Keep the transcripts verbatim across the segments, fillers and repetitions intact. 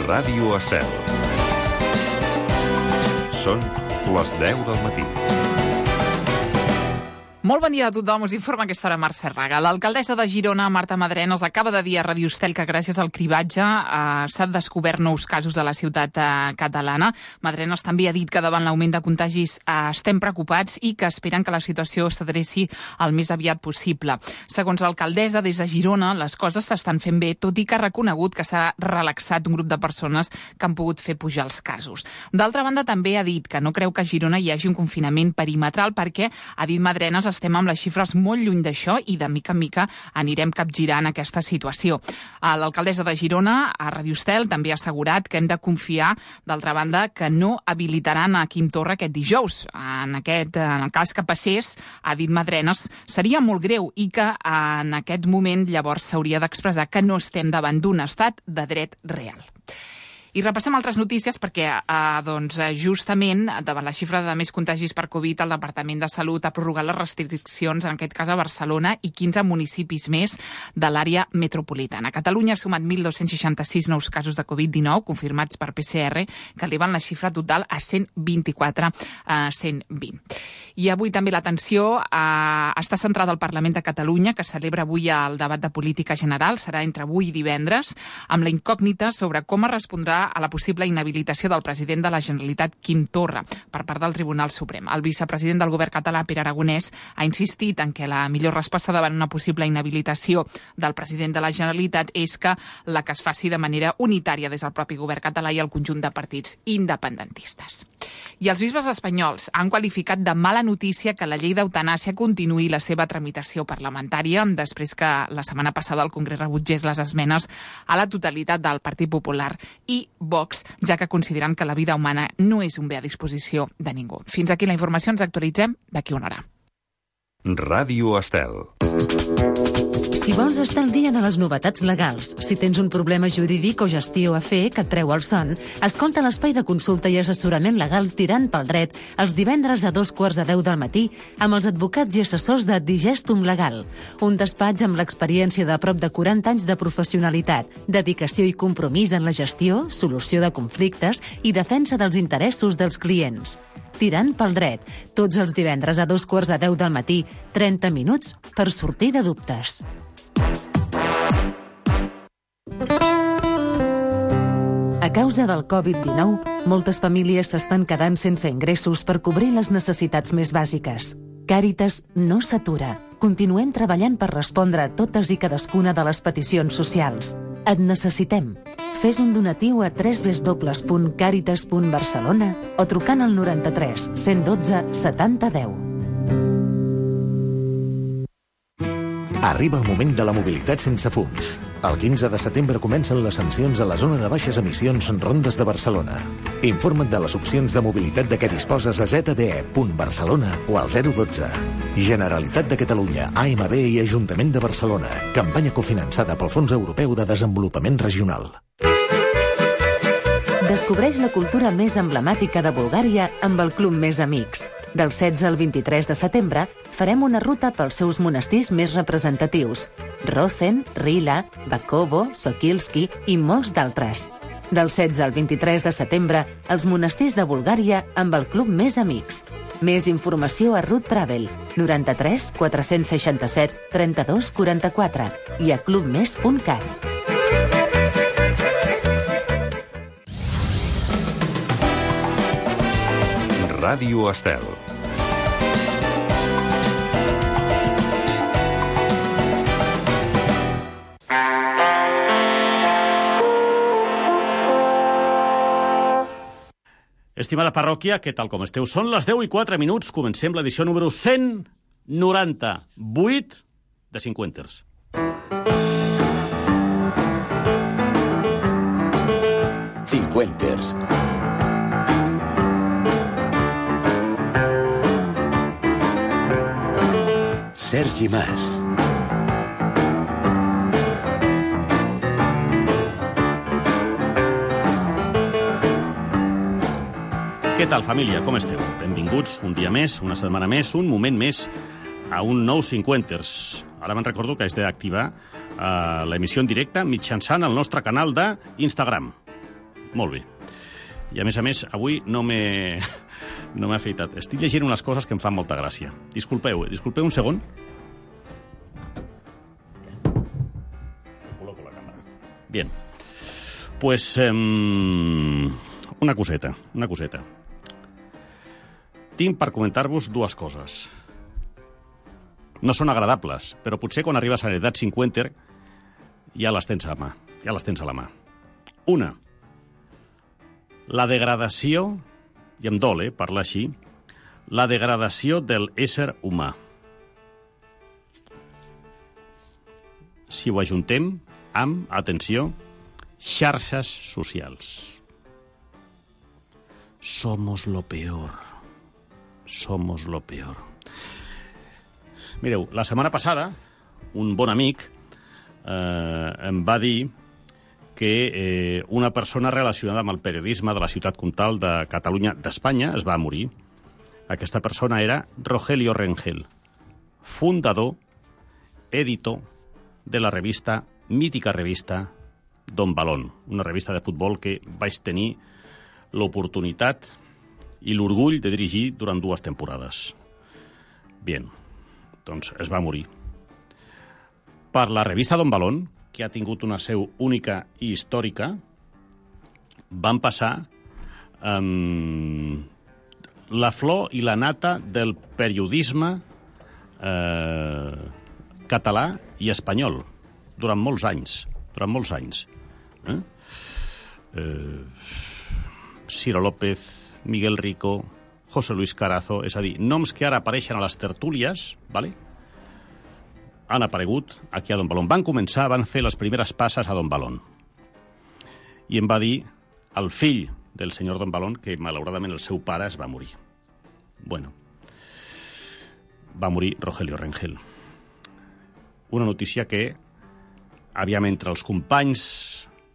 Ràdio Estel. Són les deu del matí. Molt bon dia a tothom, us informa aquesta hora Mercè Raga. L'alcaldessa de Girona, Marta Madrenas, acaba de dir a Ràdio Estel que gràcies al cribatge eh, s'han descobert nous casos a la ciutat eh, catalana. Madrenas també ha dit que davant l'augment de contagis eh, estem preocupats i que esperen que la situació s'adreci el més aviat possible. Segons l'alcaldessa, des de Girona les coses s'estan fent bé, tot i que ha reconegut que s'ha relaxat un grup de persones que han pogut fer pujar els casos. D'altra banda, també ha dit que no creu que a Girona hi hagi un confinament perimetral perquè, ha dit Madrenas, estem amb les xifres molt lluny d'això i de mica en mica anirem capgirant aquesta situació. L'alcaldessa de Girona, a Ràdio Estel, també ha assegurat que hem de confiar, d'altra banda, que no habilitaran a Quim Torra aquest dijous. En, aquest, en el cas que passés, ha dit Madrenas, seria molt greu i que en aquest moment llavors s'hauria d'expressar que no estem davant d'un estat de dret real. I repassem altres notícies perquè, eh, doncs, justament, davant la xifra de més contagis per Covid, el Departament de Salut ha prorrogat les restriccions, en aquest cas a Barcelona i quinze municipis més de l'àrea metropolitana. Catalunya ha sumat mil dos-cents seixanta-sis nous casos de Covid dinou confirmats per P C R, que eleven la xifra total a cent vint-i-quatre a cent vint. I avui també l'atenció eh, està centrada al Parlament de Catalunya, que celebra avui el debat de política general, serà entre avui i divendres, amb la incògnita sobre com es respondrà a la possible inhabilitació del president de la Generalitat, Quim Torra, per part del Tribunal Suprem. El vicepresident del govern català, Pere Aragonès, ha insistit en que la millor resposta davant una possible inhabilitació del president de la Generalitat és que la que es faci de manera unitària des del propi govern català i el conjunt de partits independentistes. I els bisbes espanyols han qualificat de mala notícia que la llei d'eutanàsia continuï la seva tramitació parlamentària després que la setmana passada el Congrés rebutgés les esmenes a la totalitat del Partit Popular i Vox, ja que consideren que la vida humana no és un bé a disposició de ningú. Fins aquí la informació, ens actualitzem d'aquí una hora. Ràdio Estel. Si vols estar al dia de les novetats legals, si tens un problema jurídic o gestió a fer que et treu el son, escolta l'espai de consulta i assessorament legal Tirant pel Dret els divendres a dos quarts de deu del matí amb els advocats i assessors de Digestum Legal, un despatx amb l'experiència de prop de quaranta anys de professionalitat, dedicació i compromís en la gestió, solució de conflictes i defensa dels interessos dels clients. Tirant pel Dret, tots els divendres a dos quarts de deu del matí, trenta minuts per sortir de dubtes. A causa del Covid dinou, moltes famílies s'estan quedant sense ingressos per cobrir les necessitats més bàsiques. Càritas no s'atura. Continuem treballant per respondre a totes i cadascuna de les peticions socials. Et necessitem. Fes un donatiu a w w w punt càritas punt barcelona o trucant al noranta-tres cent dotze setanta deu. Arriba el moment de la mobilitat sense fums. El quinze de setembre comencen les sancions a la zona de baixes emissions Rondes de Barcelona. Informa't de les opcions de mobilitat de què disposes a zeta be e punt barcelona o al zero dotze. Generalitat de Catalunya, A M B i Ajuntament de Barcelona. Campanya cofinançada pel Fons Europeu de Desenvolupament Regional. Descobreix la cultura més emblemàtica de Bulgària amb el Club Més Amics. Del setze al vint-i-tres de setembre farem una ruta pels seus monestirs més representatius: Rozen, Rila, Bakovo, Sokilski i molts d'altres. Del setze al vint-i-tres de setembre, els monestirs de Bulgària amb el Club Més Amics. Més informació a Route Travel, noranta-tres quatre-cents seixanta-set trenta-dos quaranta-quatre i a clubmes punt cat. Ràdio Estel. Estimada parròquia, què tal com esteu? Són les deu i quatre minuts, comencem l'edició número cent noranta-vuit de Cinquenters. Cinquenters. Sergi Mas. Què tal, família? Com esteu? Benvinguts un dia més, una setmana més, un moment més a un nou Cinquenters. Ara me'n recordo que has d'activar uh, l'emissió en directe mitjançant el nostre canal d'Instagram. Molt bé. I, a més a més, avui no m'he no m'he afeitat. Estic llegint unes coses que em fan molta gràcia. Disculpeu, disculpeu un segon. Col·loco la càmera. Bien. Pues, um, una coseta, una coseta. Tinc per comentar-vos dues coses. No són agradables, però potser quan arribes a l'edat cinquanta ja les tens a mà, ja les tens a la mà. Una, la degradació, i em dol, eh, parlar així, la degradació del ésser humà. Si ho ajuntem amb, atenció, xarxes socials. Somos lo peor. Somos lo peor. Mireu, la setmana passada, un bon amic eh, em va dir que eh, una persona relacionada amb el periodisme de la ciutat comtal de Catalunya d'Espanya es va morir. Aquesta persona era Rogelio Rengel, fundador, editor de la revista, mítica revista Don Balón, una revista de futbol que vaig tenir l'oportunitat i l'orgull de dirigir durant dues temporades. Bien, doncs es va morir. Per la revista Don Balón, que ha tingut una seu única i històrica, van passar um, la flor i la nata del periodisme eh, català i espanyol durant molts anys. Durant molts anys. Eh? Eh, Ciro López, Miguel Rico, José Luis Carazo, és a dir, noms que ara apareixen a les tertúlies, ¿vale? Han aparegut aquí a Don Balón. Van començar, van fer les primeres passes a Don Balón. I em va dir el fill del senyor Don Balón que, malauradament, el seu pare es va morir. Bueno, va morir Rogelio Rengel. Una notícia que, aviam, entre els companys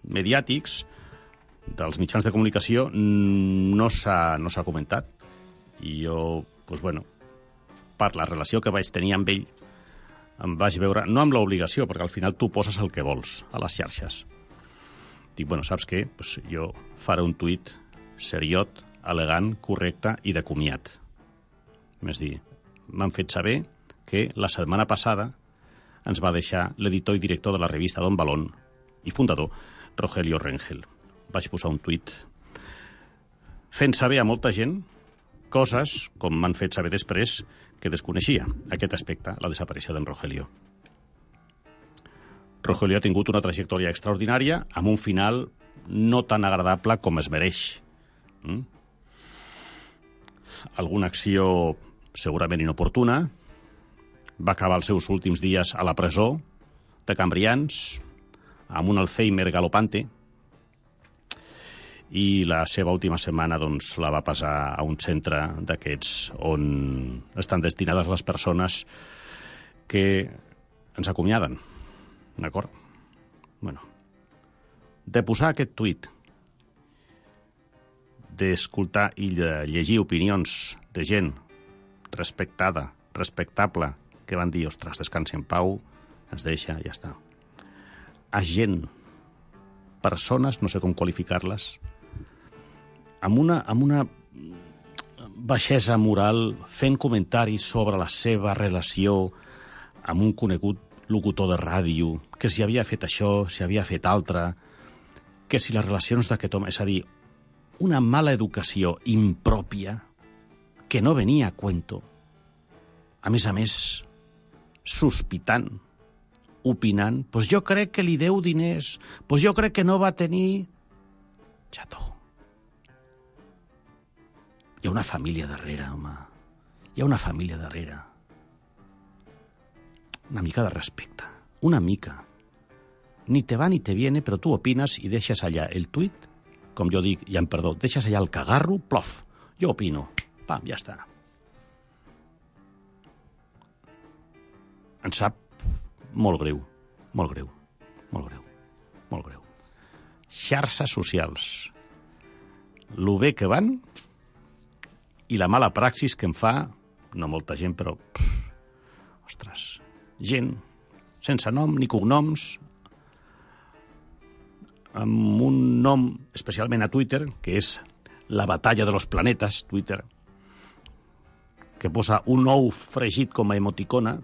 mediàtics dels mitjans de comunicació no s'ha no s'ha comentat. I jo, doncs, bueno, per la relació que vaig tenir amb ell, em vaig veure, no amb l'obligació, perquè al final tu poses el que vols a les xarxes. Dic, bueno, saps què? Pues jo faré un tuit seriot, elegant, correcte i de comiat. És dir, m'han fet saber que la setmana passada ens va deixar l'editor i director de la revista Don Balón i fundador, Rogelio Rengel. Vaig posar un tuit fent saber a molta gent coses, com m'han fet saber després, que desconeixia aquest aspecte, la desaparició d'en Rogelio. Rogelio ha tingut una trajectòria extraordinària amb un final no tan agradable com es mereix. Mm? Alguna acció segurament inoportuna, va acabar els seus últims dies a la presó de Cambrians, amb un Alzheimer galopante, i la seva última setmana doncs, la va passar a un centre d'aquests on estan destinades les persones que ens acomiaden. D'acord? Bueno, de posar aquest tuit, d'escoltar i de llegir opinions de gent respectada, respectable, que van dir, ostres, descansi en pau, ens deixa, ja està. A gent, persones, no sé com qualificar-les, amb una, amb una baixesa moral, fent comentaris sobre la seva relació amb un conegut locutor de ràdio, que si havia fet això, si havia fet altre, que si les relacions d'aquest home... És a dir, una mala educació impròpia que no venia a cuento. A més a més, sospitant, opinant, doncs jo crec que li deu diners, doncs jo crec que no va tenir... Xato. Hi ha una família darrere, home. Hi ha una família darrere. Una mica de respecte. Una mica. Ni te va ni te viene, però tu opines i deixes allà el tuit, com jo dic, ja em perdó, deixes allà el cagarro, plof. Jo opino. Pam, ja està. Em sap molt greu. Molt greu. Molt greu. Molt greu. Xarxes socials. Lo bé que van... i la mala praxis que em fa, no molta gent, però, pff, ostres, gent sense nom ni cognoms, amb un nom especialment a Twitter, que és la batalla de los planetes, Twitter, que posa un ou fregit com a emoticona,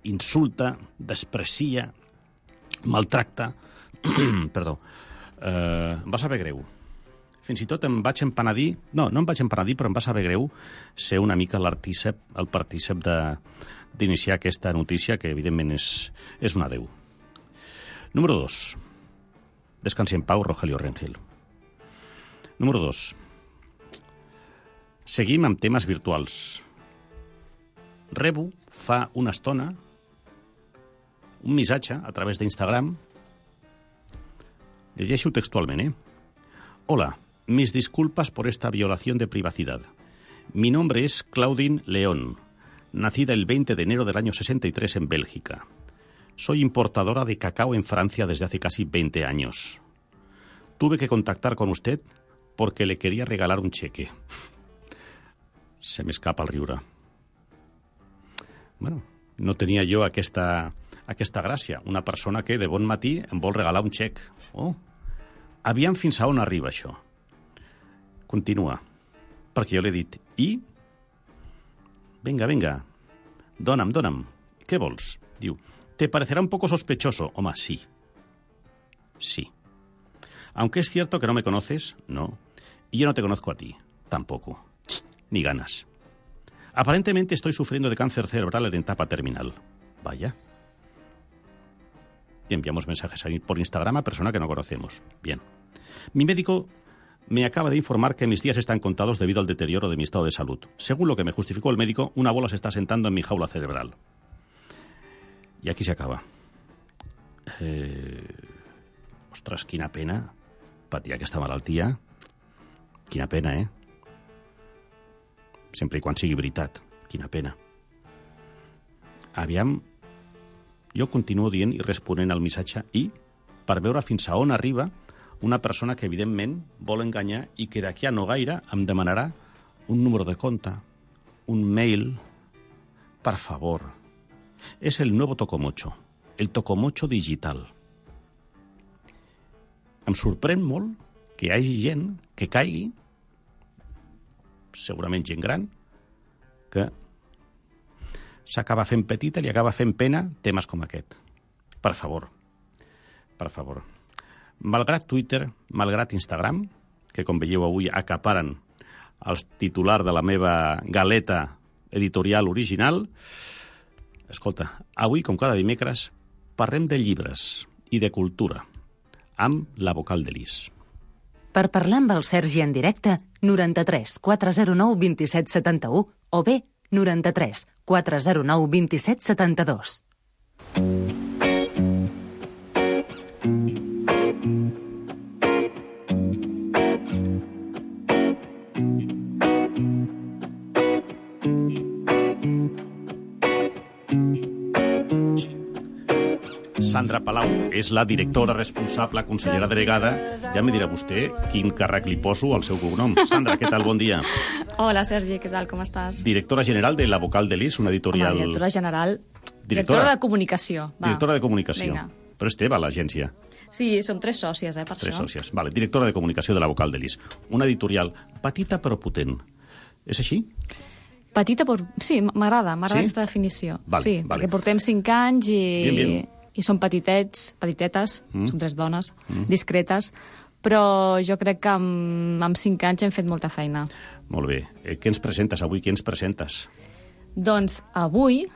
insulta, desprecia, maltracta... Perdó. Eh, em va saber greu. Fins i tot em vaig empenedir... No, no em vaig empenedir, però em va saber greu ser una mica l'artícep, el partícep d'iniciar aquesta notícia, que evidentment és, és un adeu. Número dos. Descansi en pau, Rogelio Rengel. Número dos. Seguim amb temes virtuals. Rebo fa una estona un missatge a través d'Instagram. Llegeixo textualment, ¿eh? Hola, mis disculpas por esta violación de privacidad. Mi nombre es Claudine León, nacida el veinte de enero del año sesenta y tres en Bélgica. Soy importadora de cacao en Francia desde hace casi veinte años. Tuve que contactar con usted porque le quería regalar un cheque. Se m'escapa el riure. Bueno, no tenia jo aquesta, aquesta gràcia. Una persona que de bon matí em vol regalar un xec. Oh, aviam fins a on arriba això. Continua, perquè jo l'he dit. I? Venga, venga, dona'm, dona'm. Què vols? Diu, te parecerá un poco sospechoso. Home, sí. Sí. Aunque es cierto que no me conoces, no. Y yo no te conozco a ti, tampoco. Ni ganas. Aparentemente estoy sufriendo de cáncer cerebral en etapa terminal. Vaya. Y enviamos mensajes por Instagram a persona que no conocemos. Bien. Mi médico me acaba de informar que mis días están contados debido al deterioro de mi estado de salud. Según lo que me justificó el médico, una bola se está sentando en mi jaula cerebral. I aquí s'acaba. Eh... Ostres, quina pena patir aquesta malaltia. Quina pena, eh? Sempre i quan sigui veritat. Quina pena. Aviam, jo continuo dient i responent al missatge i per veure fins a on arriba una persona que evidentment vol enganyar i que d'aquí a no gaire em demanarà un número de compte, un mail. Per favor. És el nuevo tocomocho, el tocomocho digital. Em sorprèn molt que hi hagi gent que caigui, segurament gent gran, que s'acaba fent petita i li acaba fent pena temes com aquest. Per favor, per favor. Malgrat Twitter, malgrat Instagram, que com veieu avui acaparen els titulars de la meva galeta editorial original, escolta, avui, com cada dimecres, parlem de llibres i de cultura, amb la vocal de Lis. Per parlar amb el Sergi en directe, noranta-tres quatre zero nou vint set setanta-u o bé noranta-tres quatre zero nou vint set setanta-dos. Sandra Palau és la directora responsable, consellera delegada. Ja me dirà vostè quin càrrec li poso al seu cognom. Sandra, què tal? Bon dia. Hola, Sergi, què tal? Com estàs? Directora general de La Vocal de Lis, una editorial... Home, directora general... Directora, directora de comunicació. Va. Directora de comunicació. Vinga. Però és teva, l'agència. Sí, som tres sòcies, eh, per Tres això. sòcies. Vale. Directora de comunicació de La Vocal de Lis. Una editorial petita però potent. És així? Petita, però... Sí, m'agrada, m'agrada Sí? aquesta definició. Vale, sí, vale. perquè portem cinc anys i... Bien, bien. I som petitets, petitetes, Mm. som tres dones, discretes, però jo crec que amb, amb cinc anys hem fet molta feina. Molt bé. Eh, què ens presentes avui? Què ens presentes? Doncs avui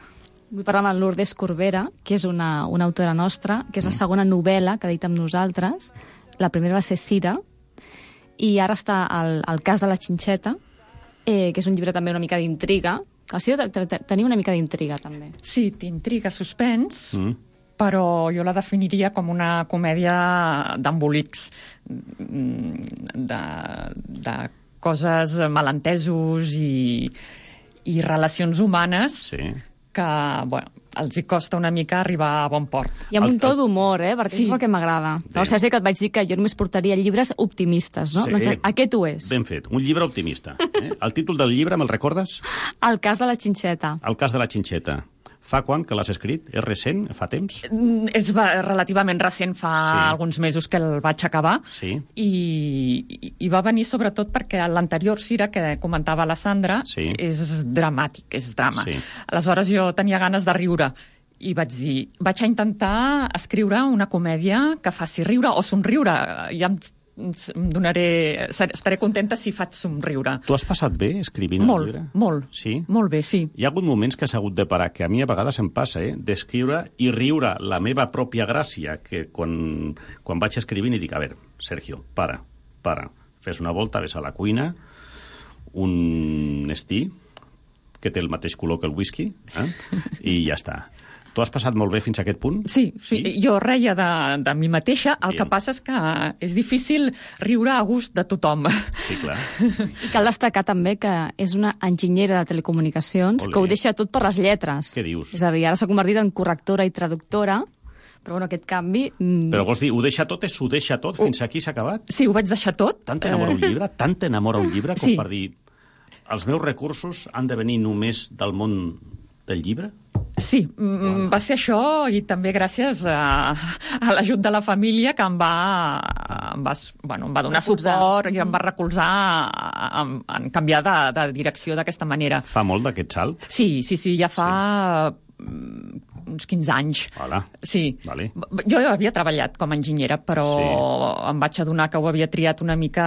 vull parlar amb la Lourdes Corbera, que és una, una autora nostra, que és la segona novel·la que ha dit amb nosaltres. La primera va ser Cira, i ara està el, el cas de la xinxeta, eh, que és un llibre també una mica d'intriga. A Cira tenia una mica d'intriga, també. Sí, t'intriga, suspens, Mm. però jo la definiria com una comèdia d'embolics, de, de coses, malentesos i, i relacions humanes Sí. que, bueno, els hi costa una mica arribar a bon port. I amb El- un to d'humor, eh? Perquè Sí. és el que m'agrada. Bé. No sé si que et vaig dir que jo només portaria llibres optimistes, no? Sí. Doncs aquest ho és. Ben fet. Un llibre optimista. Eh? El títol del llibre, me'l recordes? El cas de la xinxeta. El cas de la xinxeta. Fa quan que l'has escrit? És recent? Fa temps? Mm, És va- relativament recent, fa Sí. alguns mesos que el vaig acabar. Sí. I, i, i va venir sobretot perquè l'anterior Cira, que comentava la Sandra, Sí. és dramàtic, és drama. Sí. Aleshores jo tenia ganes de riure i vaig dir, vaig a intentar escriure una comèdia que faci riure o somriure. Ja em, em donaré... Estaré contenta si faig somriure. Tu has passat bé escrivint Molt, el llibre? molt. Sí? Molt bé, sí. Hi ha hagut moments que has hagut de parar, que a mi a vegades em passa, eh? d'escriure i riure la meva pròpia gràcia, que quan, quan vaig escrivint i dic, a veure, Sergio, para, para, fes una volta, ves a la cuina, un estí, que té el mateix color que el whisky, eh? i ja està. Tu has passat molt bé fins a aquest punt? Sí, sí, Sí? jo reia de, de mi mateixa, el Bien. que passa és que és difícil riure a gust de tothom. Sí, clar. I cal destacar també que és una enginyera de telecomunicacions Olé. que ho deixa tot per les lletres. Què dius? És a dir, ara s'ha convertit en correctora i traductora, però bueno, aquest canvi... mm, Però vols dir, ho deixa tot, és ho deixa tot, fins aquí s'ha acabat? Sí, ho vaig deixar tot. Tant t'enamora un llibre, tant t'enamora un llibre, com Sí. per dir, els meus recursos han de venir només del món del llibre? Sí, mm, va ser això i també gràcies a, a l'ajut de la família que em va, em va, bueno, em va donar Recolzar. suport i em va recolzar en, en canviar de, de direcció d'aquesta manera. Fa molt d'aquest salt? Sí, sí, sí, ja fa mm, uns quinze anys. Hola. Sí. Vale. B- Jo havia treballat com a enginyera, però Sí. em vaig adonar que ho havia triat una mica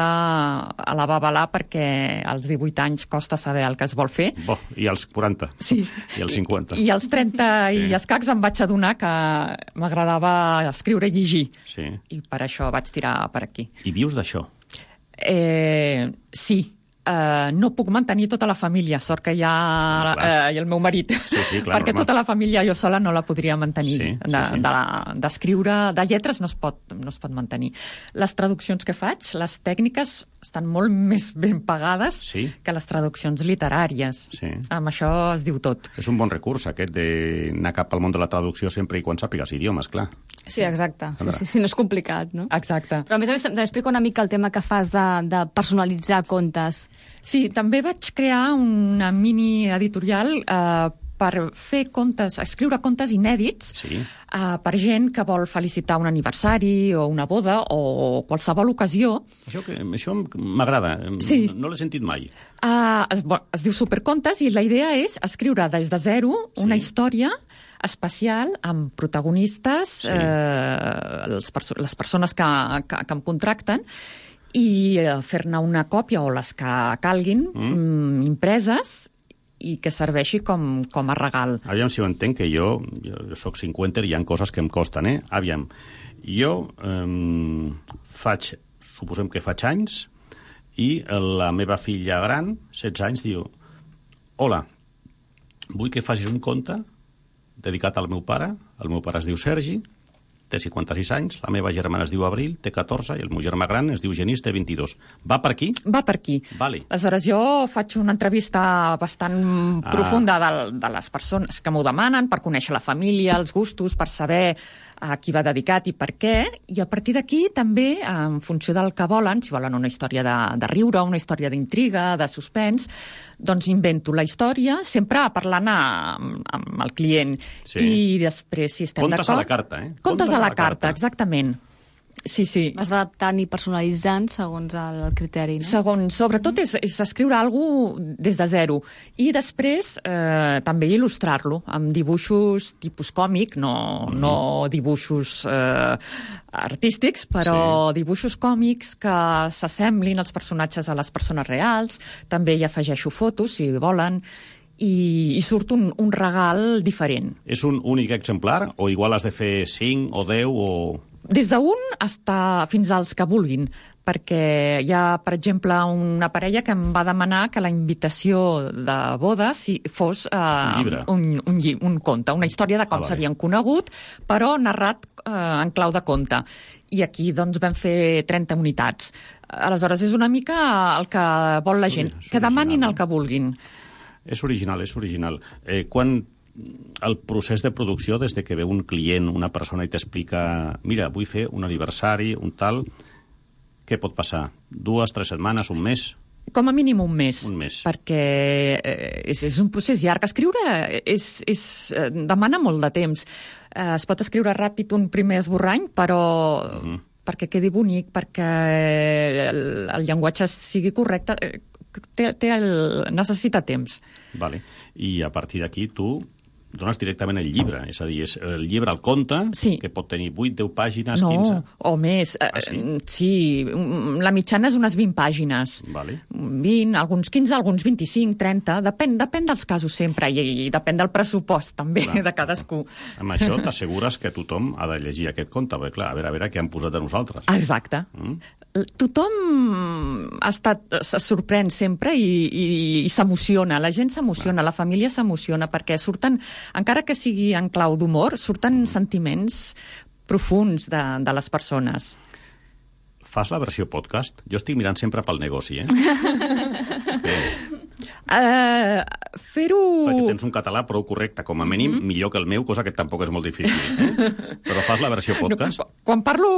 a la babalà perquè als divuit anys costa saber el que es vol fer. Bo, i als quaranta? Sí. I als cinquanta? I, i als trenta Sí. i escacs em vaig adonar que m'agradava escriure i llegir. Sí. I per això vaig tirar per aquí. I vius d'això? Eh, sí. Uh, no puc mantenir tota la família, sort que hi ha Ah, clar. uh, i el meu marit, Sí, sí, clar, perquè normal. tota la família jo sola no la podria mantenir. Sí, sí, de, sí. de, d'escriure, de lletres no es, pot, no es pot mantenir. Les traduccions que faig, les tècniques, estan molt més ben pagades Sí. que les traduccions literàries. Sí. Amb això es diu tot. És un bon recurs, aquest, d'anar cap al món de la traducció sempre i quan sàpigues idiomes, clar. Sí, exacte. Sí, Sandra. sí, sí, no és complicat, no? Exacte. Però a més a més, també explica una mica el tema que fas de, de personalitzar contes. Sí, també vaig crear una mini editorial eh, per fer contes, escriure contes inèdits Sí. eh, per gent que vol felicitar un aniversari o una boda o qualsevol ocasió. Això, que, això m'agrada. Sí. No l'he sentit mai. Uh, es, bueno, es diu Supercontes i la idea és escriure des de zero una Sí. història especial amb protagonistes, Sí. eh, les, perso les persones que, que, que em contracten, i eh, fer-ne una còpia o les que calguin, Mm. mm, impreses, i que serveixi com, com a regal. Aviam si ho entenc, que jo, jo, jo soc cinquanta i hi ha coses que em costen, eh? Aviam, jo eh, faig, suposem que faig anys, i la meva filla gran, setze anys, diu: hola, vull que facis un conte dedicat al meu pare. El meu pare es diu Sergi, té cinquanta-sis anys, la meva germana es diu Abril, té catorze, i el meu germà gran es diu Genís, té vint-i-dos. Va per aquí? Va per aquí. Vale. Aleshores, jo faig una entrevista bastant Ah. profunda de, de les persones que m'ho demanen, per conèixer la família, els gustos, per saber a qui va dedicat i per què, i a partir d'aquí també, en funció del que volen, si volen una història de, de riure, una història d'intriga, de suspens, doncs invento la història, sempre parlant amb, amb el client. Sí. I després, si estem Contes d'acord... a la carta, eh? Contes a la carta, exactament. Sí, sí. Vas adaptant i personalitzant segons el criteri, no? Segons, sobretot és, és escriure alguna cosa des de zero. I després eh, també il·lustrar-lo amb dibuixos tipus còmic, no, mm. no dibuixos eh, artístics, però sí. dibuixos còmics que s'assemblin els personatges a les persones reals. També hi afegeixo fotos, si volen, i, i surt un, un regal diferent. És un únic exemplar o igual has de fer cinc o deu o... Des d'un hasta fins als que vulguin, perquè hi ha, per exemple, una parella que em va demanar que la invitació de boda si fos eh, Un llibre. un, un, lli- un conte, una història de com Ah, vale. s'havien conegut, però narrat eh, en clau de conte. I aquí doncs, vam fer trenta unitats. Aleshores, és una mica el que vol la És gent, ori- és que demanin original, el que vulguin. És original, és original. Eh, quan el procés de producció, des de que ve un client, una persona i t'explica, mira, vull fer un aniversari, un tal, què pot passar? Dues, tres setmanes, un mes? Com a mínim un mes. Un mes. Perquè eh, és, és un procés llarg. Escriure és, és, eh, demana molt de temps. Eh, es pot escriure ràpid un primer esborrany, però mm-hmm. perquè quedi bonic, perquè el, el llenguatge sigui correcte, eh, té, té el, necessita temps. Vale. I a partir d'aquí tu dones directament el llibre, és a dir, és el llibre al conte, sí. que pot tenir vuit, deu pàgines, no, quinze... o més. Ah, sí? sí, la mitjana és unes vint pàgines. Vale. vint, alguns quinze, alguns vint-i-cinc, trenta, depèn, depèn dels casos sempre, i, i depèn del pressupost també clar, de cadascú. Clar. Amb això t'assegures que tothom ha de llegir aquest conte, perquè clar, a veure, a veure què han posat a nosaltres. Exacte. Mm? Tothom ha estat, se sorprèn sempre i, i, i s'emociona, la gent s'emociona, la família s'emociona, perquè surten, encara que sigui en clau d'humor, surten mm. sentiments profuns de, de les persones. Fas la versió podcast? Jo estic mirant sempre pel negoci, eh? eh. Uh, fer-ho... Perquè tens un català prou correcte, com a mínim, mm-hmm. millor que el meu, cosa que tampoc és molt difícil. Eh? Però fas la versió podcast? No, quan parlo,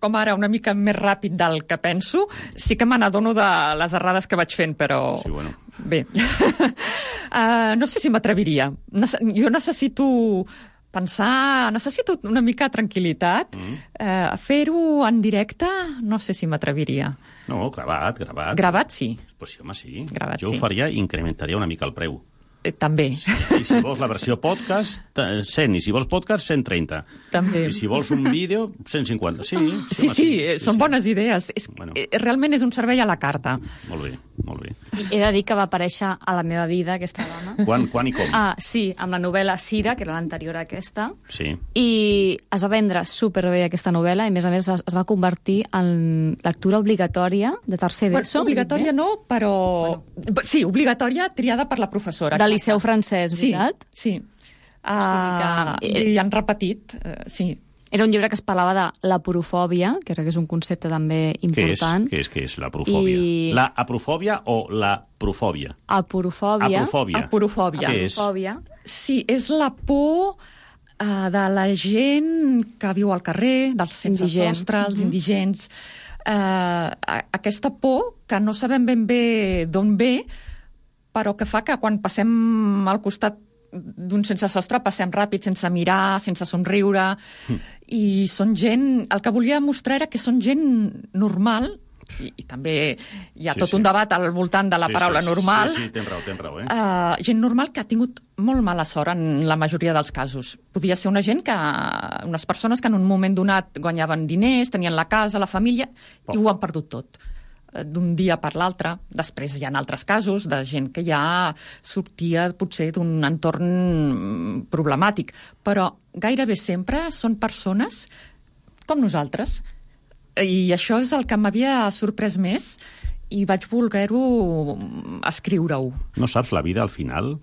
com ara, una mica més ràpid del que penso, sí que me n'adono de les errades que vaig fent, però... Sí, bueno. Bé. uh, no sé si m'atreviria. Jo necessito pensar... Necessito una mica de tranquil·litat. Mm. Uh, fer-ho en directe, no sé si m'atreviria. No, gravat, gravat. Gravat, sí. Pues sí, home, sí. Gravat, jo sí. ho faria i incrementaria una mica el preu. Eh, també. I si vols la versió podcast, cent. I si vols podcast, cent trenta. També. I si vols un vídeo, cent cinquanta. Sí, sí, sí, home, sí, sí, sí, són sí. bones idees. És, bueno. Realment és un servei a la carta. Molt bé, molt bé. I he de dir que va aparèixer a la meva vida, aquesta dona. Quan, quan i com? Ah, sí, amb la novel·la Cira, que era l'anterior a aquesta. Sí. I es va vendre superbé aquesta novel·la i, a més a més, es, es va convertir en lectura obligatòria de tercer d'ESO. Bueno, obligatòria no, però... Bueno. Sí, obligatòria triada per la professora. De liceu francès, veritat? Sí, sí. Uh, o sigui que... I han repetit, uh, sí. Era un llibre que es parlava de l'aporofòbia, que crec que és un concepte també important. Què és, què és, què és l'aporofòbia? I... La aprofòbia o la profòbia? Aporofòbia. Aporofòbia. Aporofòbia. Què és? Aporofòbia. Sí, és la por uh, de la gent que viu al carrer, dels sense Indigent. sostre, els Mm-hmm. indigents. Uh, aquesta por que no sabem ben bé d'on ve, però que fa que quan passem al costat d'un sense sostre passem ràpid, sense mirar, sense somriure, mm. i són gent... El que volia mostrar era que són gent normal, i, i també hi ha sí, tot sí. un debat al voltant de la sí, paraula sí, normal. Sí, sí, tens raó, tens raó, eh? Uh, gent normal que ha tingut molt mala sort en la majoria dels casos. Podia ser una gent que... unes persones que en un moment donat guanyaven diners, tenien la casa, la família, oh. i ho han perdut tot d'un dia per l'altre. Després hi ha altres casos de gent que ja sortia potser d'un entorn problemàtic, però gairebé sempre són persones com nosaltres. I això és el que m'havia sorprès més i vaig voler-ho escriure-ho. No saps la vida al final?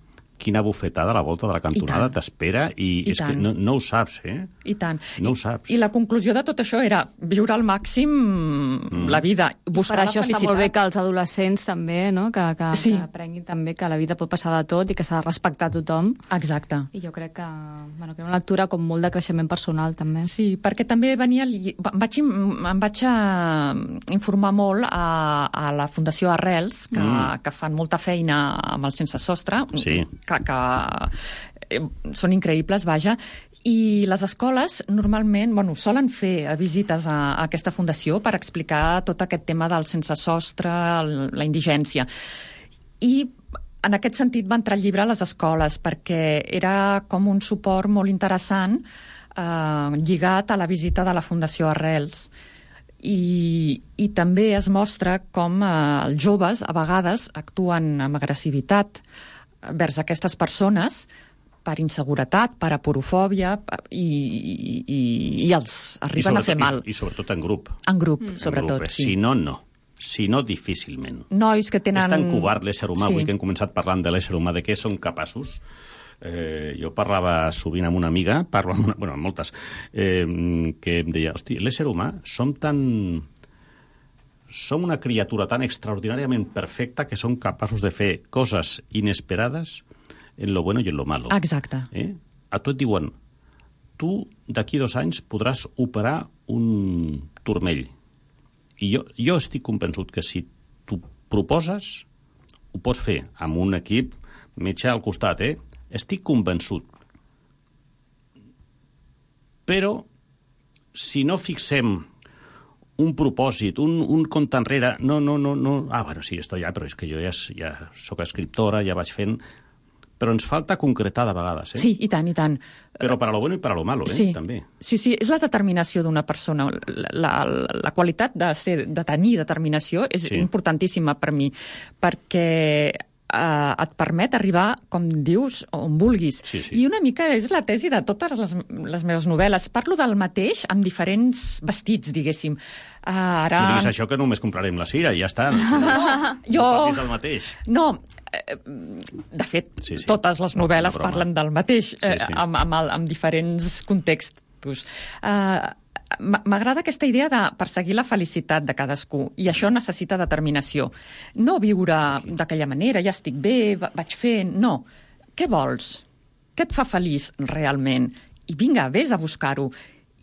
Quina bufetada a la volta de la cantonada t'espera i, I és tant. que no, no ho saps, eh? I tant. No I, ho saps. I la conclusió de tot això era viure al màxim mm. la vida, buscar per la això felicitat. està molt bé que els adolescents també, no? que, que, sí. que aprenguin també que la vida pot passar de tot i que s'ha de respectar tothom. Exacte. I jo crec que, bueno, que una lectura com molt de creixement personal, també. Sí, perquè també venia... Em vaig, em vaig informar molt a, a la Fundació Arrels, que, mm. que fan molta feina amb el sense sostre, sí. que, que eh, són increïbles, vaja, i les escoles normalment bueno, solen fer visites a, a aquesta fundació per explicar tot aquest tema del sense sostre, el, la indigència. I en aquest sentit va entrar el llibre a les escoles perquè era com un suport molt interessant eh, lligat a la visita de la Fundació Arrels. I, i també es mostra com eh, els joves a vegades actuen amb agressivitat vers aquestes persones per inseguretat, per aporofòbia, i, i, i els arriben a fer mal. I, I sobretot en grup. En grup, mm. sobretot, en grup, eh? sí. Si no, no. Si no, difícilment. Nois que tenen... És tan covard l'ésser humà, sí. avui que hem començat parlant de l'ésser humà, de què són capaços. Eh, jo parlava sovint amb una amiga, parlo amb, una, bueno, amb moltes, eh, que em deia, hosti, l'ésser humà som tan... Som una criatura tan extraordinàriament perfecta que som capaços de fer coses inesperades en lo bueno i en lo malo. Exacte. Eh? A tu et diuen, tu d'aquí dos anys podràs operar un turmell. I jo, jo estic convençut que si tu proposes, ho pots fer amb un equip metge al costat, eh? Estic convençut. Però, si no fixem un propòsit, un, un compte enrere, no, no, no, no... Ah, bueno, sí, esto ja, però és que jo ja, ja sóc escriptora, ja vaig fent... Però ens falta concretar de vegades, eh? Sí, i tant, i tant. Però per a lo bueno i per a lo malo, eh? Sí. També. Sí, sí, és la determinació d'una persona. La, la, la qualitat de, ser, de tenir determinació és Sí. importantíssima per mi, perquè eh, et permet arribar, com dius, on vulguis. Sí, sí. I una mica és la tesi de totes les, les meves novel·les. Parlo del mateix amb diferents vestits, diguéssim. Uh, ara... No diguis això que només comprarem la cira i ja està. No, no, Jo- no parlis del mateix. No, eh, de fet, Sí, sí. totes les novel·les Una broma. parlen del mateix, eh, Sí, sí. Amb, amb, el, amb diferents contextos. Uh, M'agrada aquesta idea de perseguir la felicitat de cadascú, i això necessita determinació. No viure d'aquella manera, ja estic bé, va- vaig fent... No. Què vols? Què et fa feliç realment? I vinga, vés a buscar-ho.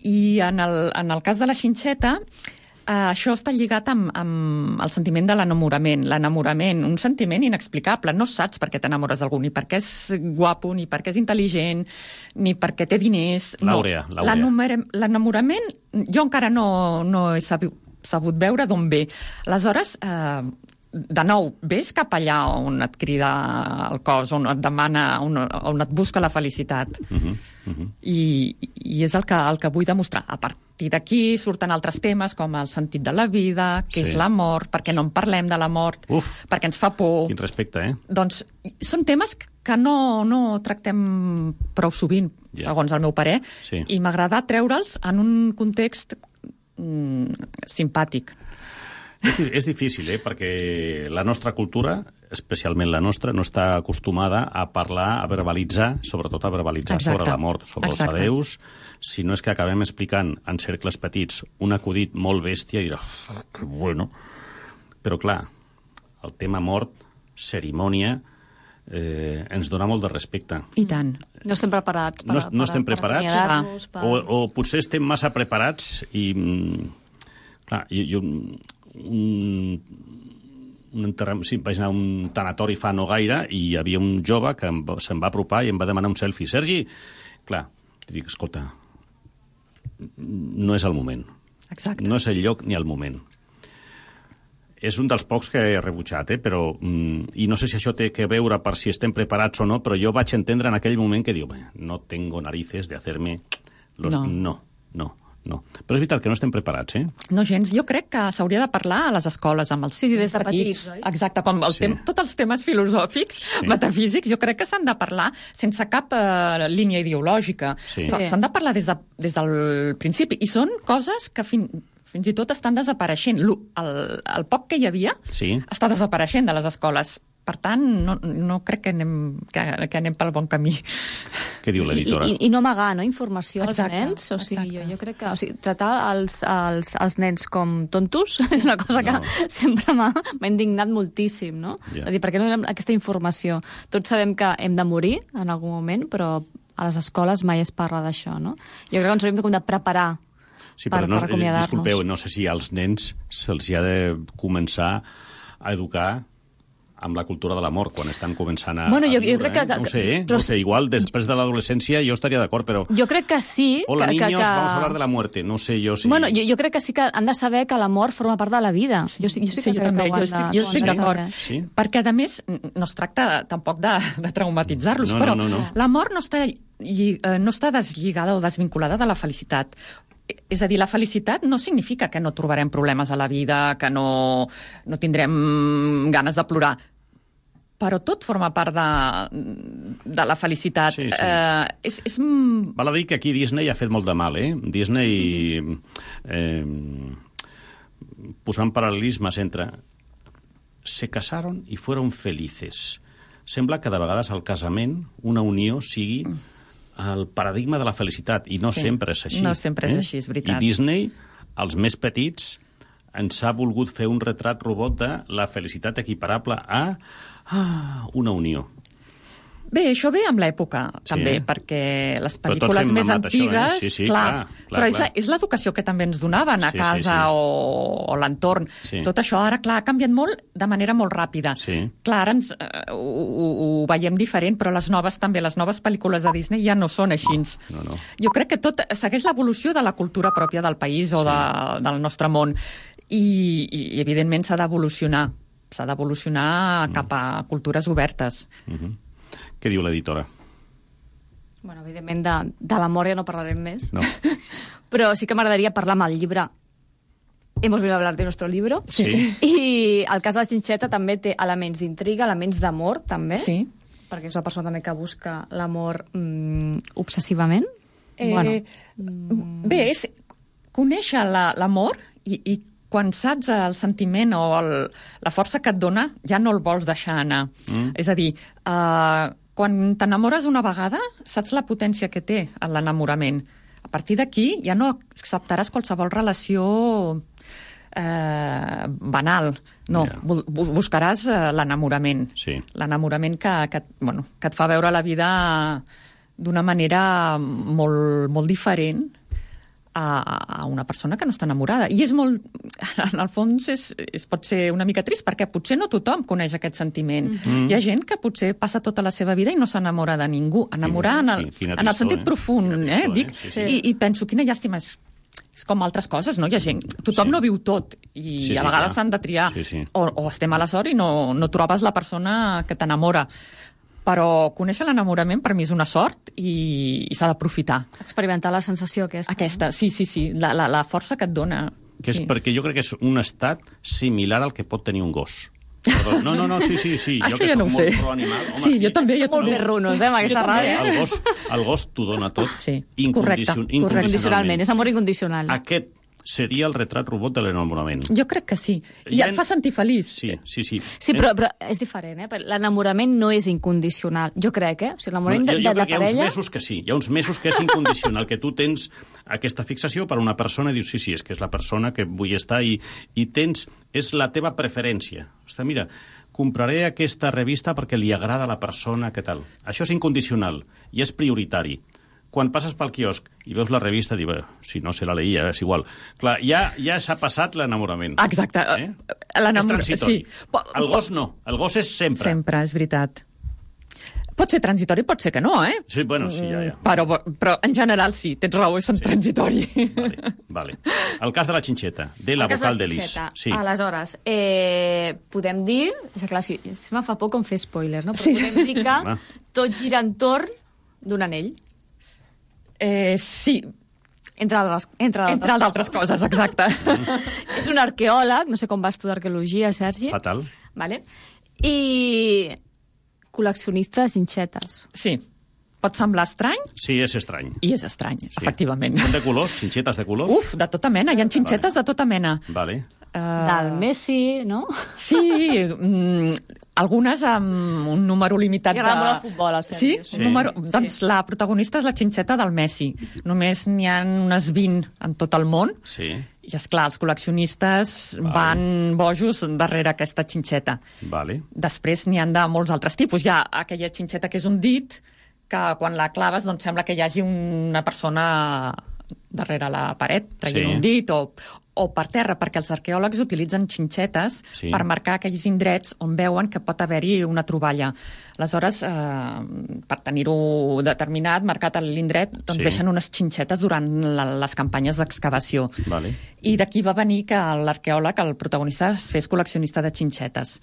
I en el, en el cas de la xinxeta, Uh, això està lligat amb, amb el sentiment de l'enamorament. L'enamorament, un sentiment inexplicable. No saps per què t'enamores d'algú, ni perquè és guapo, ni perquè és intel·ligent, ni perquè té diners. L'àurea, no. l'àurea. L'enamorament, jo encara no, no he sabut, sabut veure d'on ve. Aleshores, eh, de nou, ves cap allà on et crida el cos, on et demana, on, on et busca la felicitat. Uh -huh, uh -huh. I, i és el que, el que vull demostrar. A partir d'aquí surten altres temes com el sentit de la vida, què Sí. és la mort, per què no en parlem de la mort, Uf. perquè ens fa por. Quin respecte, eh? Doncs són temes que no, no tractem prou sovint, Ja. segons el meu parer, Sí. i m'agrada treure'ls en un context mm, simpàtic. És, di- és difícil, eh? Perquè la nostra cultura, especialment la nostra, no està acostumada a parlar, a verbalitzar, sobretot a verbalitzar Exacte. sobre la mort, sobre Exacte. els adeus, si no és que acabem explicant en cercles petits un acudit molt bèstia i dirà, que bueno. Però clar, el tema mort, cerimònia, eh, ens dona molt de respecte. I tant. No estem preparats per, No, no estem per, preparats, per acomiadar-nos, per... o, o potser estem massa preparats i... mm, Clar, jo, jo un, un enterram, sí, vaig anar a un tanatori fa no gaire i hi havia un jove que em, va- se'm va apropar i em va demanar un selfie. Sergi, clar, li dic, escolta, no és el moment. Exacte. No és el lloc ni el moment. És un dels pocs que he rebutjat, eh? Però, mm, i no sé si això té que veure per si estem preparats o no, però jo vaig entendre en aquell moment que diu, "Bé, no tengo narices de hacerme... Los... No. no, no. No. Però és veritat que no estem preparats, eh? No gens. Jo crec que s'hauria de parlar a les escoles amb els Sí, sí, des de petits, oi? Exacte, com el Sí. tem tots els temes filosòfics, Sí. metafísics, jo crec que s'han de parlar sense cap eh, línia ideològica. Sí. S- S'han de parlar des, de, des del principi. I són coses que fin, fins i tot estan desapareixent. Lo- El, el poc que hi havia Sí. està desapareixent de les escoles. Per tant, no, no crec que anem, que, que anem pel bon camí. Què diu I, l'editora? i, I no amagar, no?, informació Exacte, als nens. O sigui, exacte. jo, jo crec que o sigui, tratar els, els, els nens com tontos és una cosa No. que sempre m'ha m'ha indignat moltíssim, no? Ja. És a dir, per què no donem aquesta informació? Tots sabem que hem de morir en algun moment, però a les escoles mai es parla d'això, no? Jo crec que ens hauríem de, com de preparar Sí, per, però no, per acomiadar-nos. disculpeu, no sé si als nens se'ls hi ha de començar a educar amb la cultura de la mort, quan estan començant a, Bueno, jo- a jo viure, crec que- eh? No ho sé, eh? però- No ho sé, igual després de l'adolescència jo estaria d'acord, però... Jo crec que sí. Hola, que, niños, que, que... vamos a hablar de la muerte. No sé jo si... Bueno, jo, jo crec que sí que han de saber que la mort forma part de la vida. Sí. Jo, sí- jo sí que Sí, jo crec també, que ho jo han estic- de, jo ho han estic de d'acord. saber. Sí? Perquè, a més, no es tracta tampoc de, de traumatitzar-los, No, però no, no, no. la mort no està, lli- eh, no està deslligada o desvinculada de la felicitat. És a dir, la felicitat no significa que no trobarem problemes a la vida, que no, no tindrem ganes de plorar, però tot forma part de, de la felicitat. Sí, sí. Eh, és, és... Val a dir que aquí Disney ha fet molt de mal, eh? Disney, eh, posant paral·lelismes entre se casaron y fueron felices. Sembla que de vegades el casament, una unió, sigui el paradigma de la felicitat, i no Sí. sempre és així. No sempre és així, és veritat. I Disney, els més petits, ens ha volgut fer un retrat robot de la felicitat equiparable a ah, una unió. Bé, això ve amb l'època, Sí. també, perquè les Però tots pel·lícules hem més mamat això, eh? antigues... Sí, sí, clar, clar, clar, però és, clar. és l'educació que també ens donaven a Sí, sí, casa sí. o, o l'entorn. Sí. Tot això ara, clar, ha canviat molt de manera molt ràpida. Sí. Clar, ara ens, eh, ho, ho, ho veiem diferent, però les noves també, les noves pel·lícules de Disney ja no són així. No, no. Jo crec que tot segueix l'evolució de la cultura pròpia del país o Sí. de, del nostre món. I, i evidentment, s'ha d'evolucionar. S'ha d'evolucionar Mm. cap a cultures obertes. Uh-huh. Què diu l'editora? Bueno, evidentment, de, de l'amor ja no parlarem més. No. Però sí que m'agradaria parlar amb el llibre. Hemos venido a hablar de nuestro libro. Sí. I el cas de la Xinxeta també té elements d'intriga, elements d'amor, també. Sí. Perquè és una persona també que busca l'amor mm, obsessivament. Eh, bueno, Bé, és conèixer la- l'amor i, i quan saps el sentiment o el, la força que et dona, ja no el vols deixar anar. Mm. És a dir, eh, quan t'enamores una vegada, saps la potència que té l'enamorament. A partir d'aquí ja no acceptaràs qualsevol relació eh, banal. No, Ja. bu bu- buscaràs eh, l'enamorament. Sí. L'enamorament que, que, bueno, que et fa veure la vida d'una manera molt, molt diferent a, a una persona que no està enamorada. I és molt... En el fons és, és, pot ser una mica trist, perquè potser no tothom coneix aquest sentiment. Mm. Hi ha gent que potser passa tota la seva vida i no s'enamora de ningú. Enamorar en el, Quina en el tristor, sentit eh? profund, Quina eh? tristor, Dic, eh? Sí, sí. I, I penso, quina llàstima, és, és com altres coses, no? Hi ha gent... Tothom Sí. no viu tot, i Sí, sí, a vegades clar. s'han de triar. Sí, sí. O, o estem a la sort i no, no trobes la persona que t'enamora. Però conèixer l'enamorament per mi és una sort i, i s'ha d'aprofitar. experimentar la sensació aquesta. Aquesta, sí, sí, sí, la, la, la força que et dona. Que és sí. perquè jo crec que és un estat similar al que pot tenir un gos. Perdó. No, no, no, sí, sí, sí. Això jo que ja soc no ho molt sé. pro-animal. Home, Sí, jo també, jo Som molt també. perrunos, eh, amb aquesta Jo també. ràdio. El gos, el gos t'ho dona tot. Sí, incondicion- correcte, correcte. Incondicionalment, és amor incondicional. Aquest seria el retrat robot de l'enamorament. Jo crec que sí. I Hi ha- et fa sentir feliç. Sí, sí, sí. Sí, però, però és diferent, eh? L'enamorament no és incondicional. Jo crec, eh? O sigui, l'enamorament No, de, jo, jo de la crec que hi ha uns parella... mesos que sí. Hi ha uns mesos que és incondicional, que tu tens aquesta fixació per una persona i dius, sí, sí, és que és la persona que vull estar i, i tens... És la teva preferència. Ostres, mira, compraré aquesta revista perquè li agrada a la persona, què tal. Això és incondicional i és prioritari. Quan passes pel quiosc i veus la revista, dius, bé, si no se la leia, és igual. Clar, ja, ja s'ha passat l'enamorament. Exacte. Eh? L'enamor- És transitori. sí. Po- El gos no, el gos és sempre. Sempre, és veritat. Pot ser transitori, pot ser que no, eh? Sí, bueno, sí, ja, ja. Però, però en general sí, tens raó, és sí. transitori. Vale, vale. El cas de la xinxeta, de la El cas vocal de de la Lis. Xinxeta. Sí. Aleshores, eh, podem dir... És que, clar, si, si me fa por com fer spoilers, no? Però Sí. podem dir que Home. tot gira entorn d'un anell. Eh, sí, Entre altres, entre altres, entre les altres coses, exacte. És un arqueòleg, no sé com vas tu d'arqueologia, Sergi. Fatal. Vale? I col·leccionista de xinxetes. Sí, pot semblar estrany Sí, és estrany. i és estrany, sí. efectivament. Són de colors? Xinxetes de colors? Uf, de tota mena, hi ha xinxetes de tota mena. Vale. Uh, Del Messi, no? Sí, mm, algunes amb un número limitat Li de... agrada molt el futbol, al Sí? Sergi. Un número... Doncs la protagonista és la xinxeta del Messi. Només n'hi ha unes vint en tot el món. Sí, I, esclar, els col·leccionistes Vale. van bojos darrere aquesta xinxeta. vale. Després n'hi han de molts altres tipus. Hi ha aquella xinxeta que és un dit, que quan la claves doncs sembla que hi hagi una persona darrere la paret, traient Sí. un dit, o, o per terra, perquè els arqueòlegs utilitzen xinxetes Sí. per marcar aquells indrets on veuen que pot haver-hi una troballa. Aleshores, eh, per tenir-ho determinat, marcat a l'indret, doncs Sí. deixen unes xinxetes durant la, les campanyes d'excavació. Vale. I d'aquí va venir que l'arqueòleg, el protagonista, es fes col·leccionista de xinxetes.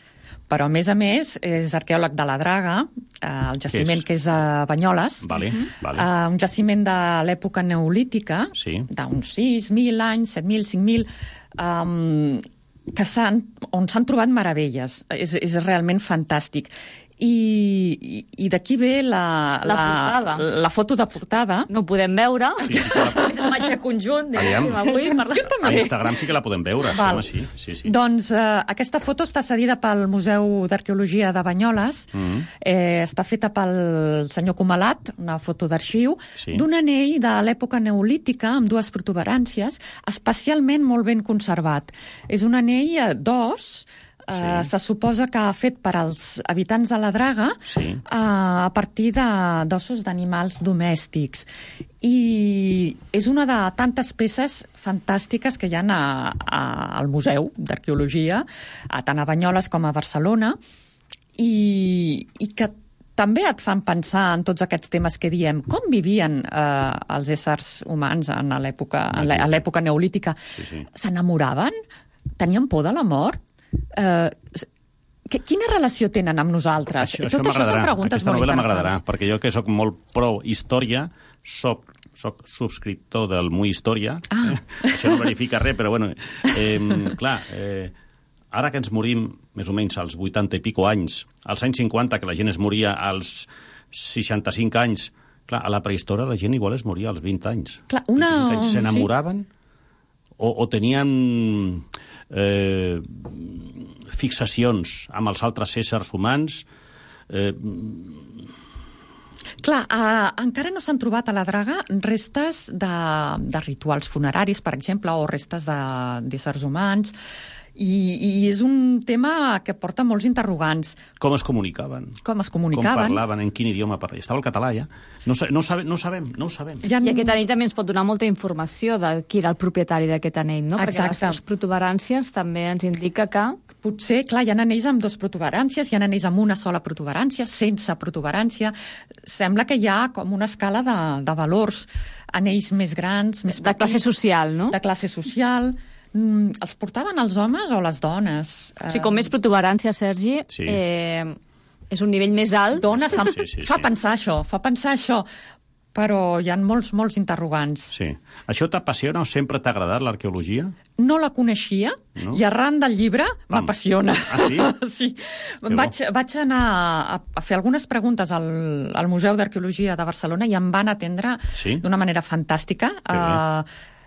Però, a més a més, és arqueòleg de la Draga, eh, el jaciment és? que és a Banyoles, Vale, vale. eh, un jaciment de l'època neolítica, Sí. d'uns sis mil anys, set mil, cinc mil, um, que s'han, on s'han trobat meravelles. És, és realment fantàstic. I, i, i d'aquí ve la, La portada. la foto de portada. No ho podem veure. Sí, sí que la- És un imatge conjunt, Aviam. diguéssim, avui. Per... A Instagram sí que la podem veure, sí, Val. home, sí. sí, sí. Doncs eh, aquesta foto està cedida pel Museu d'Arqueologia de Banyoles, Mhm. eh, està feta pel senyor Comalat, una foto d'arxiu, Sí. d'un anell de l'època neolítica amb dues protuberàncies, especialment molt ben conservat. És un anell eh, d'os sí. eh, se suposa que ha fet per als habitants de la Draga sí. eh, a partir d'ossos d'animals domèstics. I és una de tantes peces fantàstiques que hi ha a, a, al Museu d'Arqueologia, a tant a Banyoles com a Barcelona, i, i que també et fan pensar en tots aquests temes que diem. Com vivien eh, els éssers humans en l'època en l'època neolítica? Sí, sí. S'enamoraven? Tenien por de la mort? Eh, que, quina relació tenen amb nosaltres? Això, Tot això, això són preguntes Aquesta molt novel·la interessants. m'agradarà, perquè jo que sóc molt pro història, soc soc subscriptor del Muy Història. Ah. Eh? Això no verifica res, però bueno, eh, clar, eh, ara que ens morim més o menys als vuitanta i pico anys, als anys cinquanta, que la gent es moria als seixanta-cinc anys, clar, a la prehistòria la gent igual es moria als vint anys. Clar, una... anys. S'enamoraven sí. o, o tenien eh, fixacions amb els altres éssers humans. Eh, Clar, eh, encara no s'han trobat a la Draga restes de, de rituals funeraris, per exemple, o restes d'éssers humans, i, i és un tema que porta molts interrogants. Com es comunicaven? Com es comunicaven? Com parlaven? En quin idioma parlaven? Estava el català, ja? No, no, sabe, no ho sabem, no ho sabem. I aquest anell també ens pot donar molta informació de qui era el propietari d'aquest anell, no? Exacte. Perquè les protuberàncies també ens indica que... Potser, clar, hi ha anells amb dues protuberàncies, hi ha anells amb una sola protuberància, sense protuberància. Sembla que hi ha com una escala de, de valors, anells més grans, més petits... De classe social, no? De classe social... Mm, els portaven els homes o les dones? O sigui, com més protuberància, Sergi, sí. eh, és un nivell més alt. Dona, sí, sí, sí, fa sí. pensar això, fa pensar això, però hi ha molts, molts interrogants. Sí. Això t'apassiona o sempre t'ha agradat, l'arqueologia? No la coneixia, no? I arran del llibre m'apassiona. Ah, sí? Sí. Vaig, vaig anar a, a fer algunes preguntes al, al Museu d'Arqueologia de Barcelona i em van atendre sí? d'una manera fantàstica. Uh,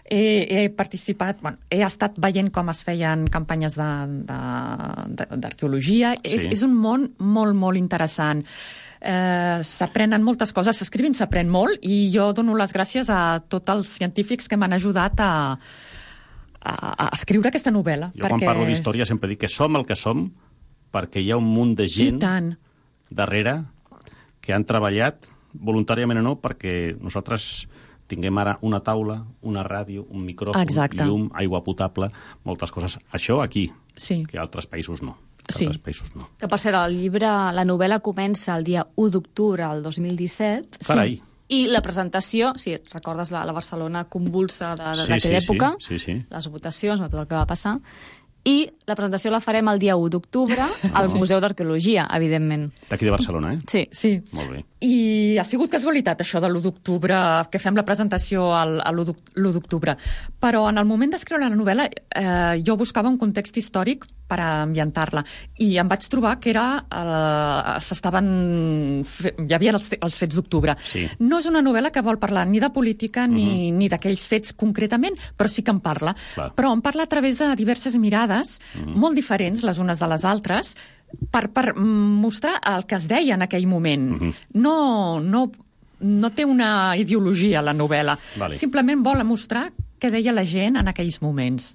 He, he participat, bueno, he estat veient com es feien campanyes d'arqueologia. Sí. És, és un món molt, molt interessant. Eh, s'aprenen moltes coses, s'escrivint s'aprèn molt, i jo dono les gràcies a tots els científics que m'han ajudat a, a, a escriure aquesta novel·la. Jo quan parlo d'història sempre dic que som el que som perquè hi ha un munt de gent darrere que han treballat, voluntàriament o no, perquè nosaltres tinguem ara una taula, una ràdio, un micròfon, Exacte. llum, aigua potable, moltes coses. Això aquí, sí. que altres països no. Sí. Altres països no. Que, per cert, el llibre, la novel·la comença el dia u d'octubre del dos mil disset. Carai. I la presentació, si sí, recordes la, la Barcelona convulsa d'aquella sí, sí, època, sí, sí, sí. les votacions, tot el que va passar, i la presentació la farem el dia u d'octubre al Museu d'Arqueologia, evidentment. D'aquí de Barcelona, eh? Sí. sí. Molt bé. I ha sigut casualitat, això de l'u d'octubre, que fem la presentació al, a l'u d'octubre. Però en el moment d'escriure la novel·la eh, jo buscava un context històric per ambientar-la. I em vaig trobar que era... Eh, s'estaven... Hi havia els, els fets d'octubre. Sí. No és una novel·la que vol parlar ni de política ni, uh-huh. ni d'aquells fets concretament, però sí que en parla. Clar. Però en parla a través de diverses mirades, uh-huh. molt diferents les unes de les altres, per, per mostrar el que es deia en aquell moment. Uh-huh. No, no, no té una ideologia, la novel·la. Vale. Simplement vol mostrar què deia la gent en aquells moments.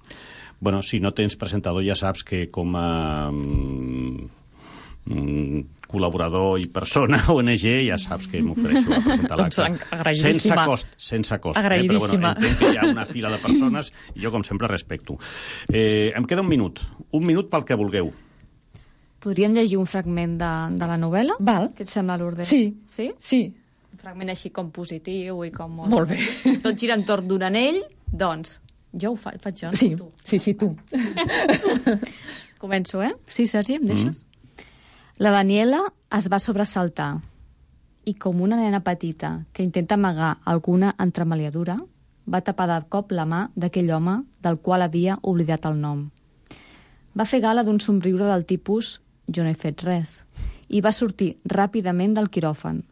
Bueno, si no tens presentador ja saps que com a mm, col·laborador i persona O N G ja saps que m'ofereixo a presentar l'acte. Doncs agraïdíssima. Sense cost, sense cost. Agraïdíssima. Eh? Però bueno, entenc que hi ha una fila de persones i jo, com sempre, respecto. Eh, em queda un minut. Un minut pel que vulgueu. Podríem llegir un fragment de, de la novel·la? Val. Què et sembla, Lourdes? Sí. Sí? Sí. Un fragment així com positiu i com... Molt, molt bé. Tot gira entorn d'un anell, doncs... Jo ho faig, faig jo, no? Sí, tu. sí, sí, tu. Començo, eh? Sí, Sergi, em deixes? Mm. La Daniela es va sobresaltar i, com una nena petita que intenta amagar alguna entremaliadura, va tapar de cop la mà d'aquell home del qual havia oblidat el nom. Va fer gala d'un somriure del tipus «jo no he fet res» i va sortir ràpidament del quiròfan,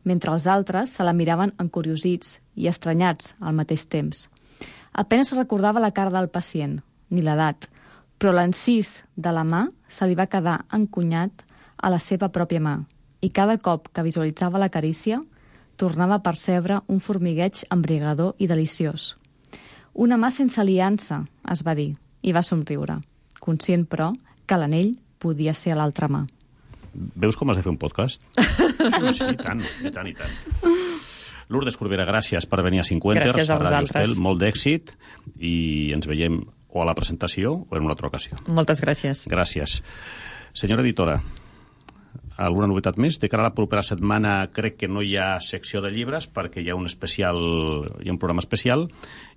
mentre els altres se la miraven encuriosits i estranyats al mateix temps. Apenas recordava la cara del pacient, ni l'edat, però l'encís de la mà se li va quedar encunyat a la seva pròpia mà, i cada cop que visualitzava la carícia, tornava a percebre un formigueig embriagador i deliciós. Una mà sense aliança, es va dir, i va somriure, conscient, però, que l'anell podia ser a l'altra mà. Veus com has de fer un podcast? Sí, sí, i tant, i tant, i tant. Lourdes Corbera, gràcies per venir a Cinquenters. Gràcies a a Ràdio vosaltres. Estel, molt d'èxit, i ens veiem o a la presentació o en una altra ocasió. Moltes gràcies. Gràcies. Senyora editora, alguna novetat més? De cara a la propera setmana crec que no hi ha secció de llibres perquè hi ha un especial, hi ha un programa especial,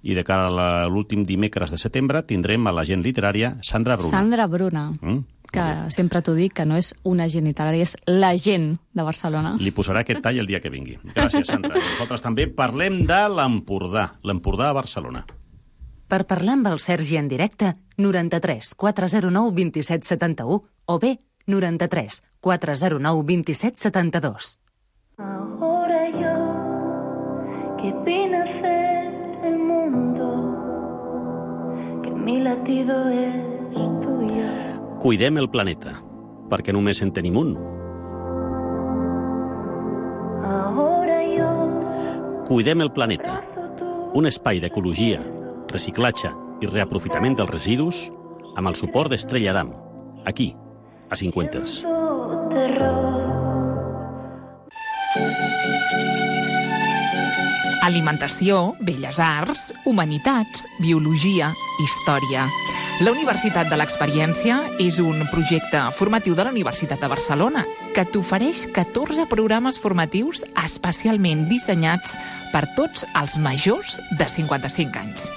i de cara a l'últim dimecres de setembre tindrem a l'agent literària Sandra Bruna. Sandra Bruna, Mm? que sempre t'ho dic, que no és una gent literària, és la gent de Barcelona. Li posarà aquest tall el dia que vingui. Gràcies, Sandra. I nosaltres també parlem de l'Empordà, l'Empordà a Barcelona. Per parlar amb el Sergi en directe, noranta-tres quatre zero nou vint-i-set setanta-u o bé noranta-tres quatre zero nou vint-i-set setanta-dos. Ahora yo, que vine a ser el mundo, que mi latido es tuyo. Cuidem el planeta, perquè només en tenim un. Ahora yo, Cuidem el planeta, un espai d'ecologia, reciclatge i reaprofitament dels residus amb el suport d'Estrella Damm, aquí, a Cinquenters. terror. Alimentació, belles arts, humanitats, biologia, història. La Universitat de l'Experiència és un projecte formatiu de la Universitat de Barcelona que t'ofereix catorze programes formatius especialment dissenyats per tots els majors de cinquanta-cinc anys.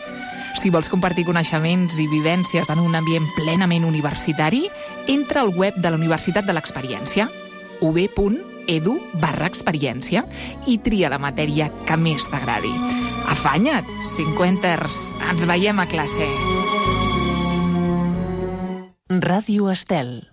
Si vols compartir coneixements i vivències en un ambient plenament universitari, entra al web de la Universitat de l'Experiència, u be punt edu barra experiència, i tria la matèria que més t'agradi. Afanya't, Cinquenters, ens veiem a classe. Ràdio Estel.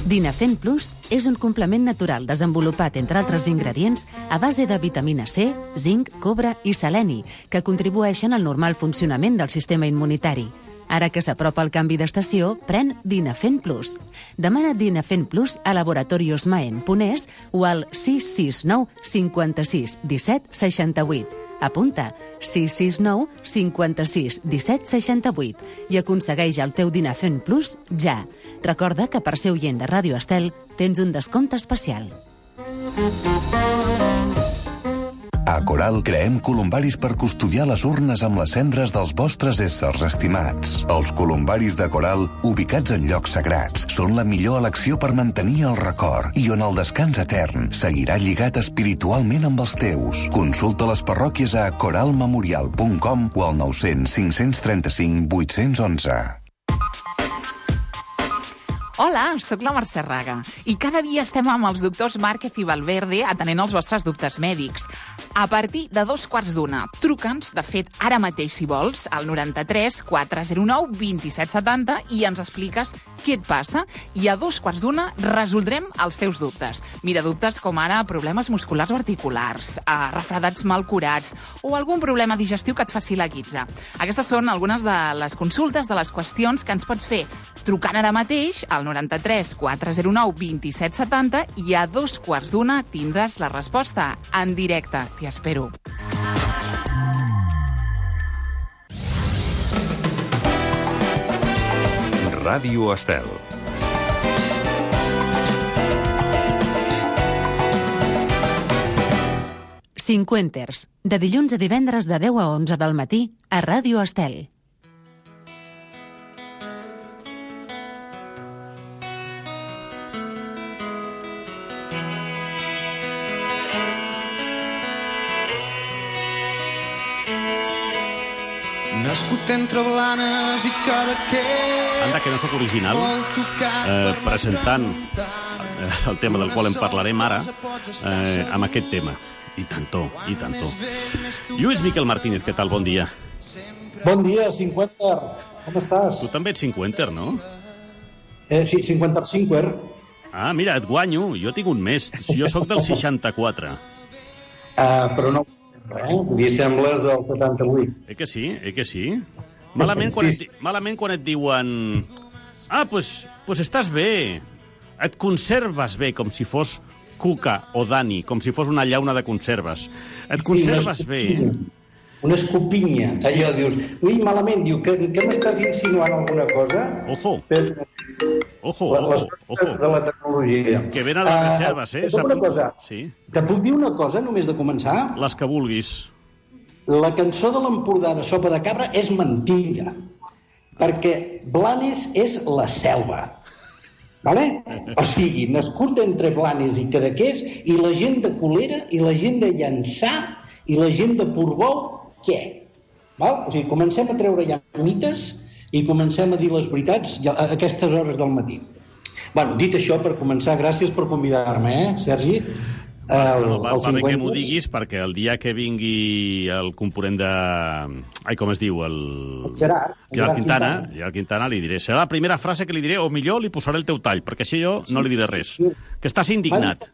Dinafent Plus és un complement natural desenvolupat, entre altres ingredients, a base de vitamina C, zinc, cobre i seleni, que contribueixen al normal funcionament del sistema immunitari. Ara que s'apropa el canvi d'estació, pren Dinafent Plus. Demana Dinafent Plus a Laboratorios Maen Ponés o al sis sis nou cinquanta-sis disset seixanta-vuit. Apunta sis sis nou cinquanta-sis disset seixanta-vuit i aconsegueix el teu Dinafent Plus ja. Recorda que per ser oient de Ràdio Estel tens un descompte especial. A Coral creem columbaris per custodiar les urnes amb les cendres dels vostres éssers estimats. Els columbaris de Coral, ubicats en llocs sagrats, són la millor elecció per mantenir el record i on el descans etern seguirà lligat espiritualment amb els teus. Consulta les parròquies a coralmemorial punt com o al nou cents cinc cents trenta-cinc vuit cents onze. Hola, sóc la Mercè Raga i cada dia estem amb els doctors Márquez i Valverde atenent els vostres dubtes mèdics. A partir de dos quarts d'una, truca'ns, de fet, ara mateix, si vols, al noranta-tres quatre zero nou vint-i-set setanta i ens expliques què et passa i a dos quarts d'una resoldrem els teus dubtes. Mira, dubtes com ara problemes musculars o articulars, eh, refredats mal curats o algun problema digestiu que et faci la guitza. Aquestes són algunes de les consultes, de les qüestions que ens pots fer trucant ara mateix al noranta-tres quatre zero nou vint-i-set setanta i a dos quarts d'una tindràs la resposta en directe. T'hi espero. Ràdio Estel. Cinquenters, de dilluns a divendres de deu a onze del matí a Ràdio Estel. Nascut entre Blanes i Cadaqués. Anda, que no sóc original, eh, presentant eh, el tema del qual en parlarem ara, eh, amb aquest tema. I tanto, i tanto. Lluís Miquel Martínez, què tal? Bon dia. Bon dia, Cinquenter. Com estàs? Tu també ets cinquenter, no? Eh, sí, Cinquenter Cinquer. Ah, mira, et guanyo. Jo tinc un mes. Jo sóc del seixanta-quatre. Uh, però no, eh? Vull dir, sembles del setanta-vuit. Eh que sí? Eh que sí? Malament quan, et, malament quan et diuen... Ah, pues, pues estàs bé. Et conserves bé, com si fos Cuca o Dani, com si fos una llauna de conserves. Et conserves sí, bé. una escopinya. Sí. Allò dius, ui, malament, diu, que, que m'estàs insinuant alguna cosa? Ojo. Per... Ojo, la, ojo, ojo. De la tecnologia. Que ven a les reserves, eh? Uh, una cosa. Sí. Te puc dir una cosa, només de començar? Les que vulguis. La cançó de l'Empordà de Sopa de Cabra és mentida, perquè Blanes és la selva. Vale? O sigui, nascut entre Blanes i Cadaqués, i la gent de Colera, i la gent de Llançà, i la gent de Portbou, què? Val? O sigui, comencem a treure ja mites i comencem a dir les veritats a aquestes hores del matí. Bueno, dit això, per començar, gràcies per convidar-me, eh, Sergi? El, no, va, va bé que m'ho diguis, perquè el dia que vingui el component de... Ai, com es diu? El, el Gerard. El Gerard Quintana, Gerard Quintana li diré. Serà la primera frase que li diré, o millor li posaré el teu tall, perquè així jo no li diré res. Que estàs indignat.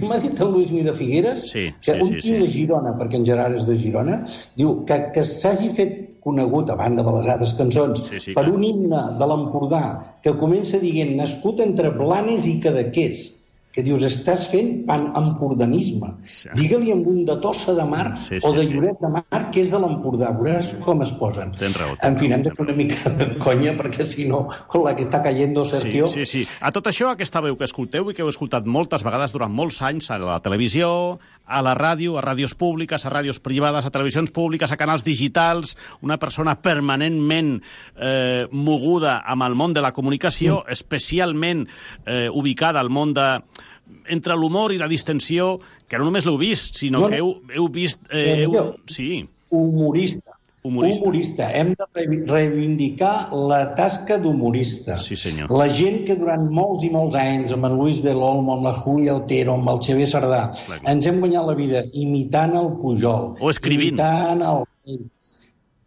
M'ha dit el Luis Mi de Figueres, sí, que sí, un sí, tio sí. de Girona, perquè en Gerard és de Girona, diu que, que s'hagi fet conegut, a banda de les altres cançons, sí, sí, per clar. un himne de l'Empordà que comença dient nascut entre Blanes i Cadaqués, que dius, estàs fent pan-empordanisme. Sí. Digue-li amb un de Tossa de Mar sí, sí, o de sí. Lloret de Mar, que és de l'Empordà. Veuràs com es posen. Tens raó. En fi, hem de fer una mica de conya, perquè si no, con la que està cayendo Sergio... Sí, sí, sí. A tot això, aquesta veu que escolteu i que heu escoltat moltes vegades durant molts anys a la televisió, a la ràdio, a ràdios públiques, a ràdios privades, a televisions públiques, a canals digitals, una persona permanentment eh, moguda amb el món de la comunicació, mm. especialment eh, ubicada al món de... entre l'humor i la distensió, que no només l'heu vist, sinó no, que heu, heu vist... Eh, heu... Sí. Humorista. Humorista. Humorista. Hem de reivindicar la tasca d'humorista. Sí, senyor. La gent que durant molts i molts anys, amb en Luis de l'Olmo, amb la Júlia Otero, amb el Xavier Sardà, clar, clar. ens hem guanyat la vida imitant el Pujol. O escrivint. Imitant el...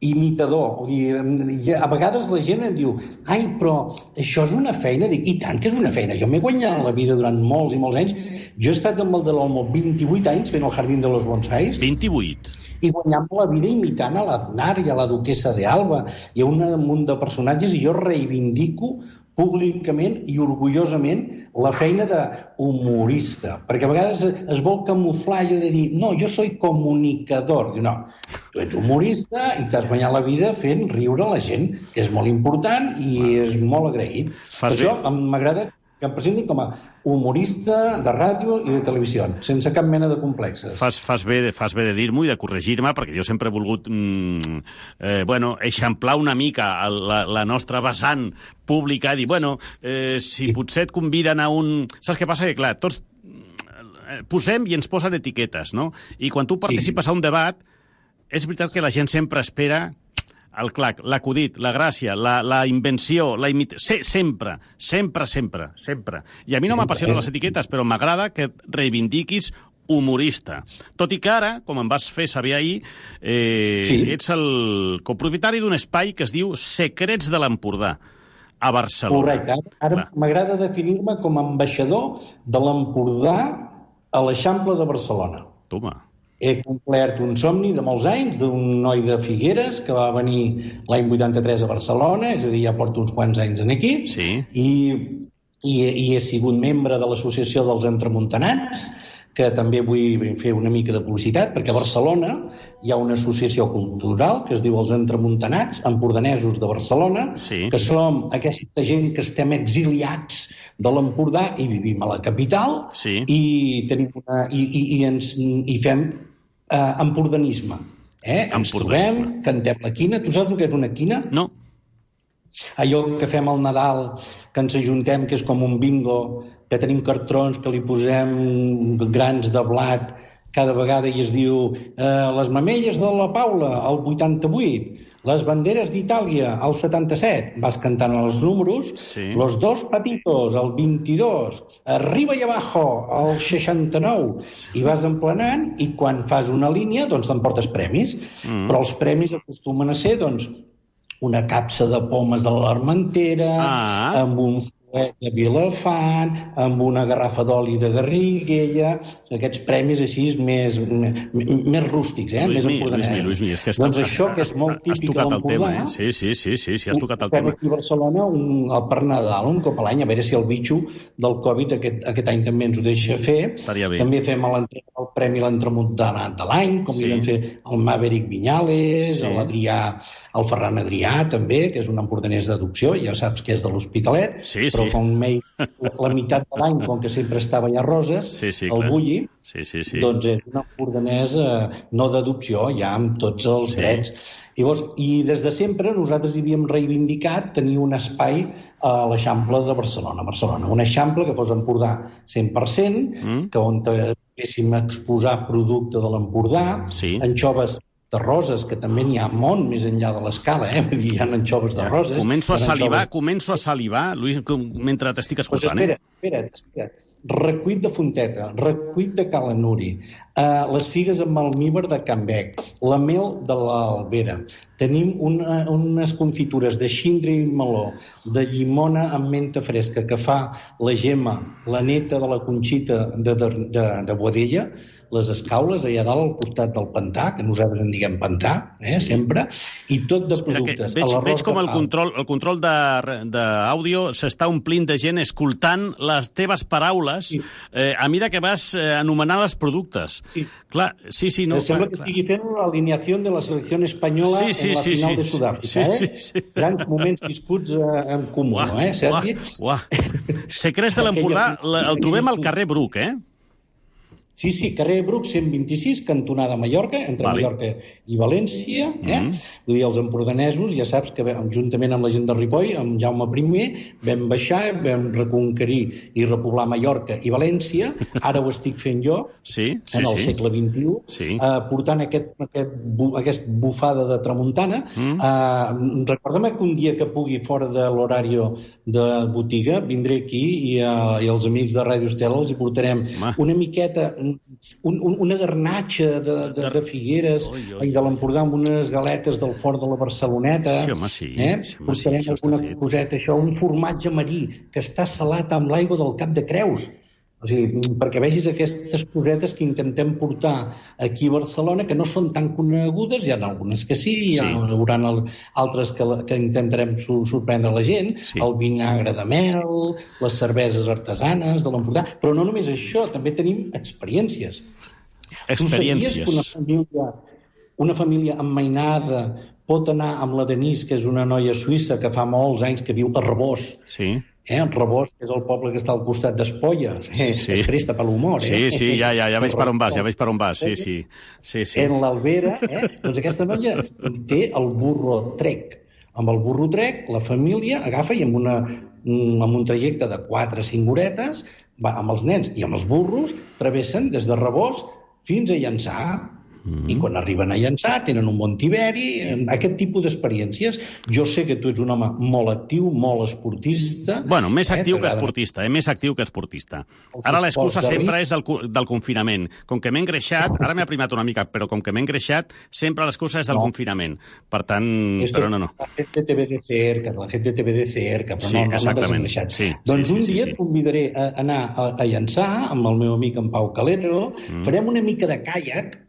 imitador. Vull dir, a vegades la gent em diu, ai, però això és una feina. Dic, i tant que és una feina. Jo m'he guanyat la vida durant molts i molts anys. Jo he estat amb el de l'Olmo vint-i-vuit anys fent el Jardín de los Bonsais. vint-i-vuit? I guanyant la vida imitant a l'Aznar i a la duquessa de Alba. Hi ha un munt de personatges i jo reivindico públicament i orgullosament la feina d'humorista, perquè a vegades es vol camuflar allò de dir, no, jo soy comunicador. Diu, no, tu ets humorista i t'has guanyat la vida fent riure la gent, que és molt important i és molt agraït. Per això m'agrada que em presentin com a humorista de ràdio i de televisió, sense cap mena de complexes. Fas, fas, bé, fas bé de dir-m'ho i de corregir-me, perquè jo sempre he volgut mm, eh, bueno, eixamplar una mica la, la nostra vessant pública i dir, bueno, eh, si potser et conviden a un... Saps què passa? Que, clar, tots posem i ens posen etiquetes, no? I quan tu participes sí. a un debat, és veritat que la gent sempre espera el clac, l'acudit, la gràcia, la, la invenció, la imitació... Se, sempre, sempre, sempre, sempre. I a mi no m'apassionen les etiquetes, però m'agrada que reivindiquis humorista. Tot i que ara, com em vas fer saber ahir, eh, sí. ets el copropietari d'un espai que es diu Secrets de l'Empordà, a Barcelona. Correcte. Ara m'agrada definir-me com a ambaixador de l'Empordà a l'Eixample de Barcelona. Toma. He complert un somni de molts anys d'un noi de Figueres que va venir l'any vuitanta-tres a Barcelona, és a dir, ja porto uns quants anys en aquí, sí. i, i, i he sigut membre de l'Associació dels Entremuntanats, que també vull fer una mica de publicitat, perquè a Barcelona hi ha una associació cultural que es diu els Entremuntanats, empordanesos de Barcelona, sí. que som aquesta gent que estem exiliats de l'Empordà i vivim a la capital sí. i, tenim una, i, i, i, ens, i fem eh, empordanisme. Eh? Ens trobem, cantem la quina. Tu saps el que és una quina? No. Allò que fem al Nadal, que ens ajuntem, que és com un bingo, que tenim cartrons, que li posem grans de blat cada vegada i es diu eh, les mamelles de la Paula, el vuitanta-vuit, les banderes d'Itàlia, el setanta-set, vas cantant els números, sí. los dos patitos, el vint-i-dos, arriba i abajo, el seixanta-nou, i vas emplenant, i quan fas una línia, doncs t'emportes premis. Mm. Però els premis acostumen a ser, doncs, una capsa de pomes de l'Armentera, ah. amb un de Vilafant, amb una garrafa d'oli de Garriguella, aquests premis així més, més rústics, eh? Luis més Mi, Luis Mi, Luis Mi, és que has, doncs això, que és molt típic has tocat de el tema, l'Empordà, eh? Sí, sí, sí, sí, sí, has tocat el fem tema. aquí a Barcelona un, el per Nadal, un cop a l'any, a veure si el bitxo del Covid aquest, aquest any també ens ho deixa fer. Estaria bé. També fem el, el Premi l'Entremuntana de l'any, com Sí. li vam fer el Maverick Viñales, Sí. l'Adrià, el Ferran Adrià, també, que és un empordanès d'adopció, ja saps que és de l'Hospitalet, Sí, però sí. fa un mail la meitat de l'any, com que sempre estava allà a Roses, Sí, sí, el clar. Bulli, Sí, sí, sí. doncs és un empordanès eh, no d'adopció, ja amb tots els Sí. drets. Llavors, i des de sempre nosaltres havíem reivindicat tenir un espai a l'Eixample de Barcelona, Barcelona. Un Eixample que fos Empordà cent per cent, Mm. que on poguéssim exposar producte de l'Empordà, Sí. anxoves de Roses, que també n'hi ha molt més enllà de l'escala, eh? Vull dir, hi ha anxoves de Ja. Roses. Començo a hi ha salivar, anxoves- començo a salivar, Luis, com- mentre t'estic Pues escoltant, espera, eh? espera't, espera't. Recuit de Fonteta, recuit de Cala Nuri, uh, les figues amb almívar de Can Bec, la mel de l'Albera. Tenim una, unes confitures de xindre i meló, de llimona amb menta fresca, que fa la Gemma, la neta de la Conxita de, de, de, de Boadella, les escaules allà dalt al costat del pantà, que nosaltres en diguem pantà, eh, Sí. sempre, i tot de Espera, que productes. veig, A l'arròs veig com de el pau. control, el control de- d'àudio s'està omplint de gent escoltant les teves paraules Sí. eh, a mesura que vas eh, anomenant els productes. Sí. Clar, sí, sí, no... No, sembla clar, que clar. estigui fent l'alineació de la selecció espanyola Sí, sí, en la sí, final sí. de Sud-àfrica. Sí, eh? sí, sí. Grans moments viscuts eh, en comú, Uah, eh, Sergi? uah, uah. Secrets de l'Empordà la- el trobem al carrer Bruc, eh? Sí, sí, carrer Bruc cent vint-i-sis, cantonada Mallorca, entre Vale. Mallorca i València. Eh? Mhm. Vull dir, els empordanesos, ja saps que vam- juntament amb la gent de Ripoll, amb Jaume primer, vam baixar, vam reconquerir i repoblar Mallorca i València. Ara ho estic fent jo, Sí, sí, en el sí. segle vint-i-u, Sí. eh, portant aquest, aquest, bu, aquest bufada de tramuntana. Mm. Eh, recorda'm que un dia que pugui fora de l'horari de botiga vindré aquí i, eh, i els amics de Ràdio Estela els hi portarem Home. una miqueta, un, un, una garnatxa de, de, de Figueres Oi, oi, i de l'Empordà amb unes galetes del Fort de la Barceloneta. Sí, home, sí. Eh? Sí, home, sí, portarem això està alguna fet. coseta, això, un formatge marí que està salat amb l'aigua del Cap de Creus. O sigui, perquè vegis aquestes cosetes que intentem portar aquí a Barcelona, que no són tan conegudes, hi ha algunes que sí, hi ha, Sí. haurà el, altres que, la- que intentarem su, sorprendre la gent, Sí. el vinagre de mel, les cerveses artesanes de l'Empordà, però no només això, també tenim experiències. Experiències. Tu sabies que una família, una família emmainada pot anar amb la Denise, que és una noia suïssa que fa molts anys que viu a Rebós, Sí. eh? Rebós, que és el poble que està al costat d'Espolla, eh? Sí. Es presta per l'humor, eh? Sí, sí, ja, ja, ja veig per on vas, ja veig per on vas, sí, sí. Sí, sí. En l'Albera, eh? Doncs aquesta noia té el burro trec. Amb el burro trec, la família agafa i amb, una, amb un trajecte de quatre o cinc horetes, va, amb els nens i amb els burros, travessen des de Rebós fins a Llançà. Mm-hmm. I quan arriben a Llançà tenen un bon tiberi, aquest tipus d'experiències. Jo sé que tu ets un home molt actiu, molt esportista. Bueno, més actiu eh? que esportista, eh? Més actiu que esportista. Els Ara l'excusa esports de sempre risc. és del, cu- del confinament. Com que m'he engreixat, ara m'he aprimat una mica, però com que m'he engreixat, sempre l'excusa és del No. confinament. Per tant, Esto però no, no. La gente te ve de cerca, la gente te ve de cerca, però Sí, no, no, exactament. no t'has engreixat. Sí, doncs sí, sí, un sí, dia sí. et convidaré a anar a, a Llançà amb el meu amic en Pau Calero, mm. farem una mica de caiac,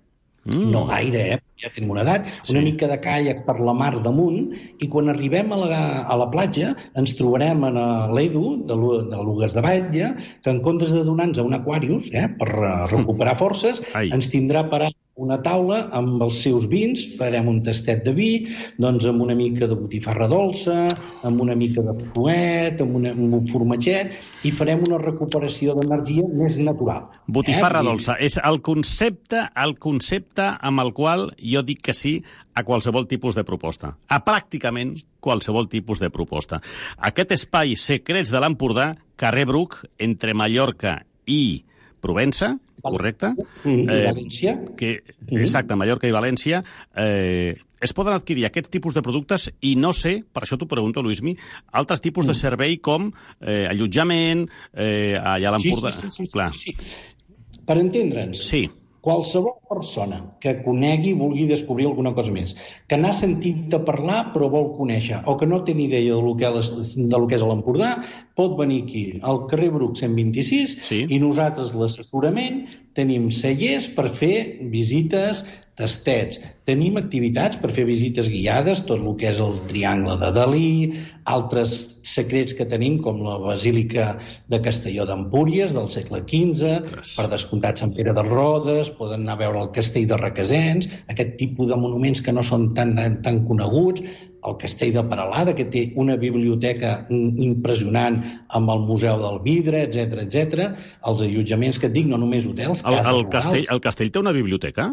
Mm. no gaire, eh? Ja tenim una edat, Sí. una mica de caiac per la mar damunt, i quan arribem a la, a la platja ens trobarem en l'Edu, de, Lu- de Lugues de Batlle, que en comptes de donar-nos a un aquarius, eh, per eh, recuperar forces, Ai. ens tindrà parat una taula amb els seus vins, farem un tastet de vi, doncs amb una mica de botifarra dolça, amb una mica de fuet, amb, una, amb un formatget, i farem una recuperació d'energia més natural. Botifarra eh? I- dolça. És el concepte, el concepte amb el qual jo dic que sí a qualsevol tipus de proposta. A pràcticament qualsevol tipus de proposta. Aquest espai Secrets de l'Empordà, carrer Bruc, entre Mallorca i Provença, correcte? Mm, i València. Que, exacte, Mallorca i València. Eh, es poden adquirir aquest tipus de productes i no sé, per això t'ho pregunto, Luismi, altres tipus de servei com eh, allotjament, eh, allà a l'Empordà. Sí, sí, sí, sí, Clar. sí, sí. Per entendre'ns, Sí. qualsevol persona que conegui i vulgui descobrir alguna cosa més, que n'ha sentit a parlar però vol conèixer, o que no té ni idea del que, de lo que és l'Empordà, pot venir aquí, al carrer Bruc cent vint-i-sis, sí. I nosaltres l'assessorament tenim cellers per fer visites, tastets. Tenim activitats per fer visites guiades, tot el que és el Triangle de Dalí, altres secrets que tenim, com la Basílica de Castelló d'Empúries, del segle quinze, Ostres. Per descomptat Sant Pere de Rodes, poden anar a veure el Castell de Requesens, aquest tipus de monuments que no són tan, tan coneguts, el Castell de Peralada, que té una biblioteca impressionant amb el Museu del Vidre, etcètera, etcètera, els allotjaments que et dic, no només hotels, el, cases el castell, el castell té una biblioteca?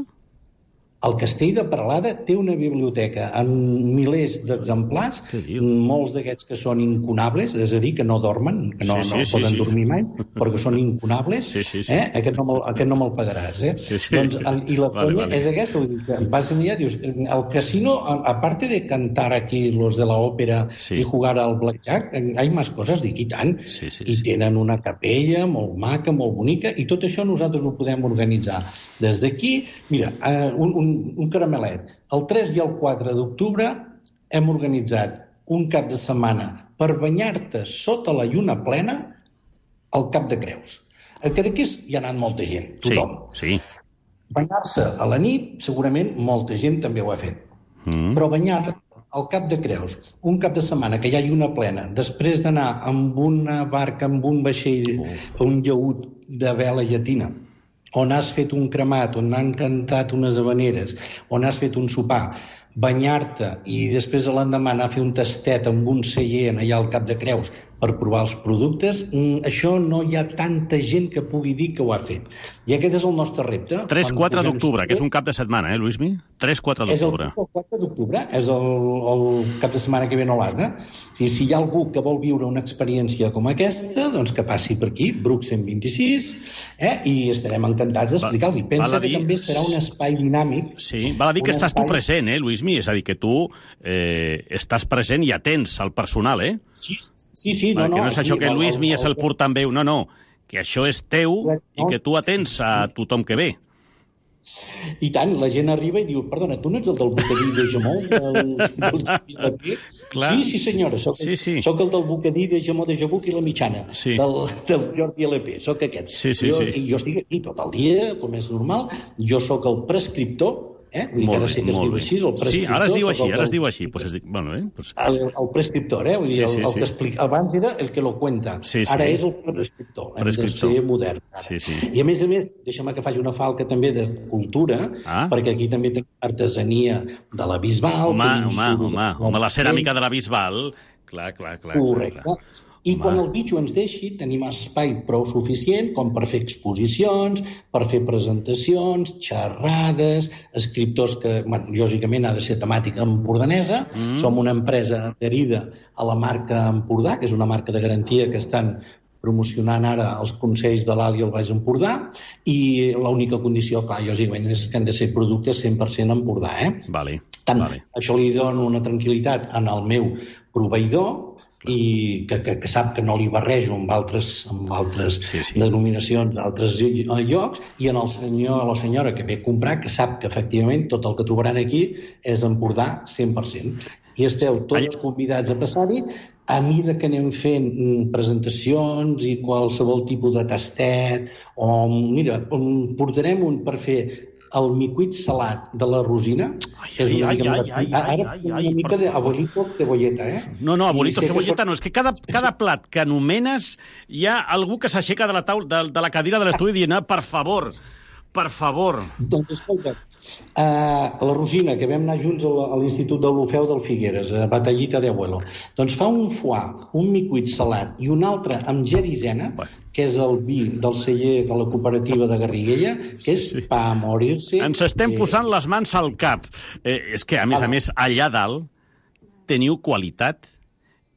El Castell de Peralada té una biblioteca amb milers d'exemplars, molts d'aquests que són incunables, és a dir, que no dormen, que no, sí, sí, no sí, poden sí. dormir mai, però que són incunables. Sí, sí, sí. Eh? Aquest no me'l aquest no me pagaràs. Eh? Sí, sí. Doncs, el, I la vale, vale. És aquesta, que vas allà, dius, el casino, aparte de cantar aquí los de la ópera sí. I jugar al blackjack, hay más cosas, dic, i tant. Sí, sí, I tenen una capella molt maca, molt bonica, i tot això nosaltres ho podem organitzar. Des d'aquí, mira, un, un un caramelet. El tres i el quatre d'octubre hem organitzat un cap de setmana per banyar-te sota la lluna plena al Cap de Creus. Que d'aquí hi ha anat molta gent, tothom. Sí, sí. Banyar-se a la nit, segurament molta gent també ho ha fet. Mm. Però banyar-te al Cap de Creus, un cap de setmana que hi ha lluna plena, després d'anar amb una barca, amb un vaixell, oh. un llaüt de vela llatina, on has fet un cremat, on han cantat unes habaneres, on has fet un sopar, banyar-te i després a l'endemà anar a fer un tastet amb un celler allà al Cap de Creus per provar els productes, això no hi ha tanta gent que pugui dir que ho ha fet. I aquest és el nostre repte. tres quatre d'octubre, que és un cap de setmana, eh, Luismi? tres quatre d'octubre. És el quatre d'octubre, és el, el cap de setmana que ve no l'Arna. I si hi ha algú que vol viure una experiència com aquesta, doncs que passi per aquí, Bruc cent vint-i-sis, eh, i estarem encantats d'explicar-los. I pensa que dir... també serà un espai dinàmic. Sí, val a dir que estàs espai... tu present, eh, Luismi? És a dir, que tu eh, estàs present i atents al personal, eh? Sí, sí, sí. No, que no és això aquí, que Luismi és el portaveu, no, no, que això és teu no. I que tu atens a tothom que ve. I tant, la gent arriba i diu, perdona, tu no ets el del bocadí de Jamó? Del, del sí, sí, senyora, soc, sí, sí. soc el del bocadí de Jamó de Jabuc i la Mitjana, sí. del, del Jordi L P, soc aquest. Sí, sí, jo, sí. jo estic aquí tot el dia, com és normal, jo sóc el prescriptor. Eh? Molt bé, sí molt bé. Així, sí, ara es diu així, ara es diu així. Pues es diu, bueno, eh? pues... el, el prescriptor, eh? Vull dir, sí, sí, el, el que explica. Abans era el que lo cuenta, sí, sí. Ara és el prescriptor. prescriptor. Hem de ser modern. Sí, sí. I a més a més, deixa'm que faci una falca també de cultura, ah? perquè aquí també tenim artesania de la Bisbal. Home, home, home, home, la ceràmica de la Bisbal. Clar, clar, clar. Correcte. Clar, clar. I quan el bitxo ens deixi, tenim espai prou suficient com per fer exposicions, per fer presentacions, xerrades, escriptors que, bueno, lògicament ha de ser temàtica empordanesa. Mm. Som una empresa adherida a la marca Empordà, que és una marca de garantia que estan promocionant ara els Consells de l'Alt i el Baix Empordà, i l'única condició, clar, lògicament, és que han de ser productes cent per cent Empordà, eh? Vale. Tant, vale. Això li dona una tranquil·litat en el meu proveïdor, i que, que, que sap que no li barrejo amb altres, amb altres sí, sí. denominacions d'altres llocs, i en el senyor o la senyora que ve a comprar, que sap que efectivament tot el que trobaran aquí és Empordà cent per cent. I esteu tots convidats a passar-hi a mida que anem fent presentacions i qualsevol tipus de tastet, o mira, portarem un per fer el micuit salat de la Rosina, ai, que és una ai, mica, ai, ai, ara ai, ai, una ai, mica d'abuelito cebolleta, eh? No, no, abuelito cebolleta no, és que cada, cada plat que anomenes hi ha algú que s'aixeca de la taula, de, de la cadira de l'estudi dient, ah, per favor, per favor. Doncs escolta, uh, la Rosina, que vam anar junts a l'Institut de l'Ofeu del Figueres, a Batallita de Abuelo, doncs fa un foie, un micuit salat i un altre amb gerizena, que és el vi del celler de la cooperativa de Garriguella, que és sí. pa a morir-se. Ens estem eh... posant les mans al cap. Eh, és que, a més a més, allà dalt teniu qualitat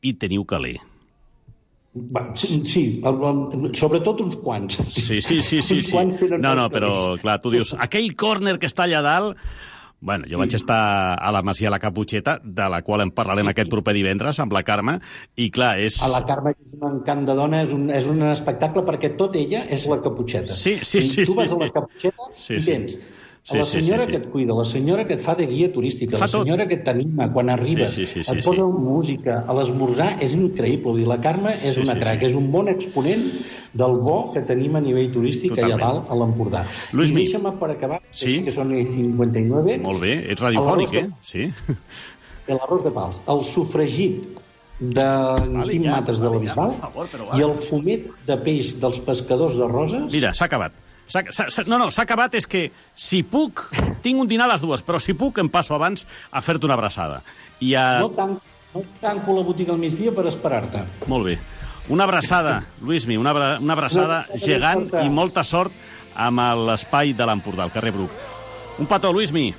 i teniu caler. Va, sí, sí el, el, sobretot uns quants. Sí, sí, sí. sí, sí. No, no, però, clar, tu dius, aquell córner que està allà dalt, Bueno, jo vaig estar a la Masia La Caputxeta, de la qual en parlarem sí, aquest proper divendres, amb la Carme, i clar, és... A la Carme és un encant de dona, és un, és un espectacle, perquè tot ella és la Caputxeta. Sí, sí, sí. I tu vas sí, a la Caputxeta sí, i sí. tens Sí, la sí, senyora sí, sí. que et cuida, la senyora que et fa de guia turística, Fa la senyora tot. que t'anima quan arribes, Sí, sí, sí, sí, et sí, posa sí. música, a l'esmorzar és increïble. Vull dir, la Carme és Sí, una sí, crac, sí. és un bon exponent del bo que tenim a nivell turístic Totalment. allà dalt a l'Empordà. Luismi. I deixa'm per acabar, Sí. que són cinquanta i nueve. Molt bé, ets radiofònic, eh? Sí. L'arròs de pals, el sofregit de Vale, Quim ja, Mates de la vale, ja, Bisbal per favor, però va. i el fumet de peix dels pescadors de Roses. Mira, s'ha acabat. S'ha, s'ha, no, no, s'ha acabat és que si puc, tinc un dinar a les dues, però si puc em passo abans a fer-te una abraçada. I a... No tanco, no tanco la botiga al migdia per esperar-te. Molt bé. Una abraçada, Luismi, una, abra, una abraçada Molta gegant sort. i molta sort amb l'espai de l'Empordà, al carrer Bruc. Un petó, Luismi.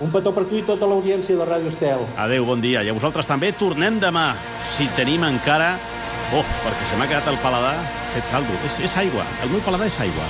Un petó per tu i tota l'audiència de Ràdio Estel. Adéu, bon dia. I a vosaltres també. Tornem demà, si tenim encara... Oh, perquè se m'ha quedat el paladar fet caldo. És, és aigua. El meu paladar és aigua.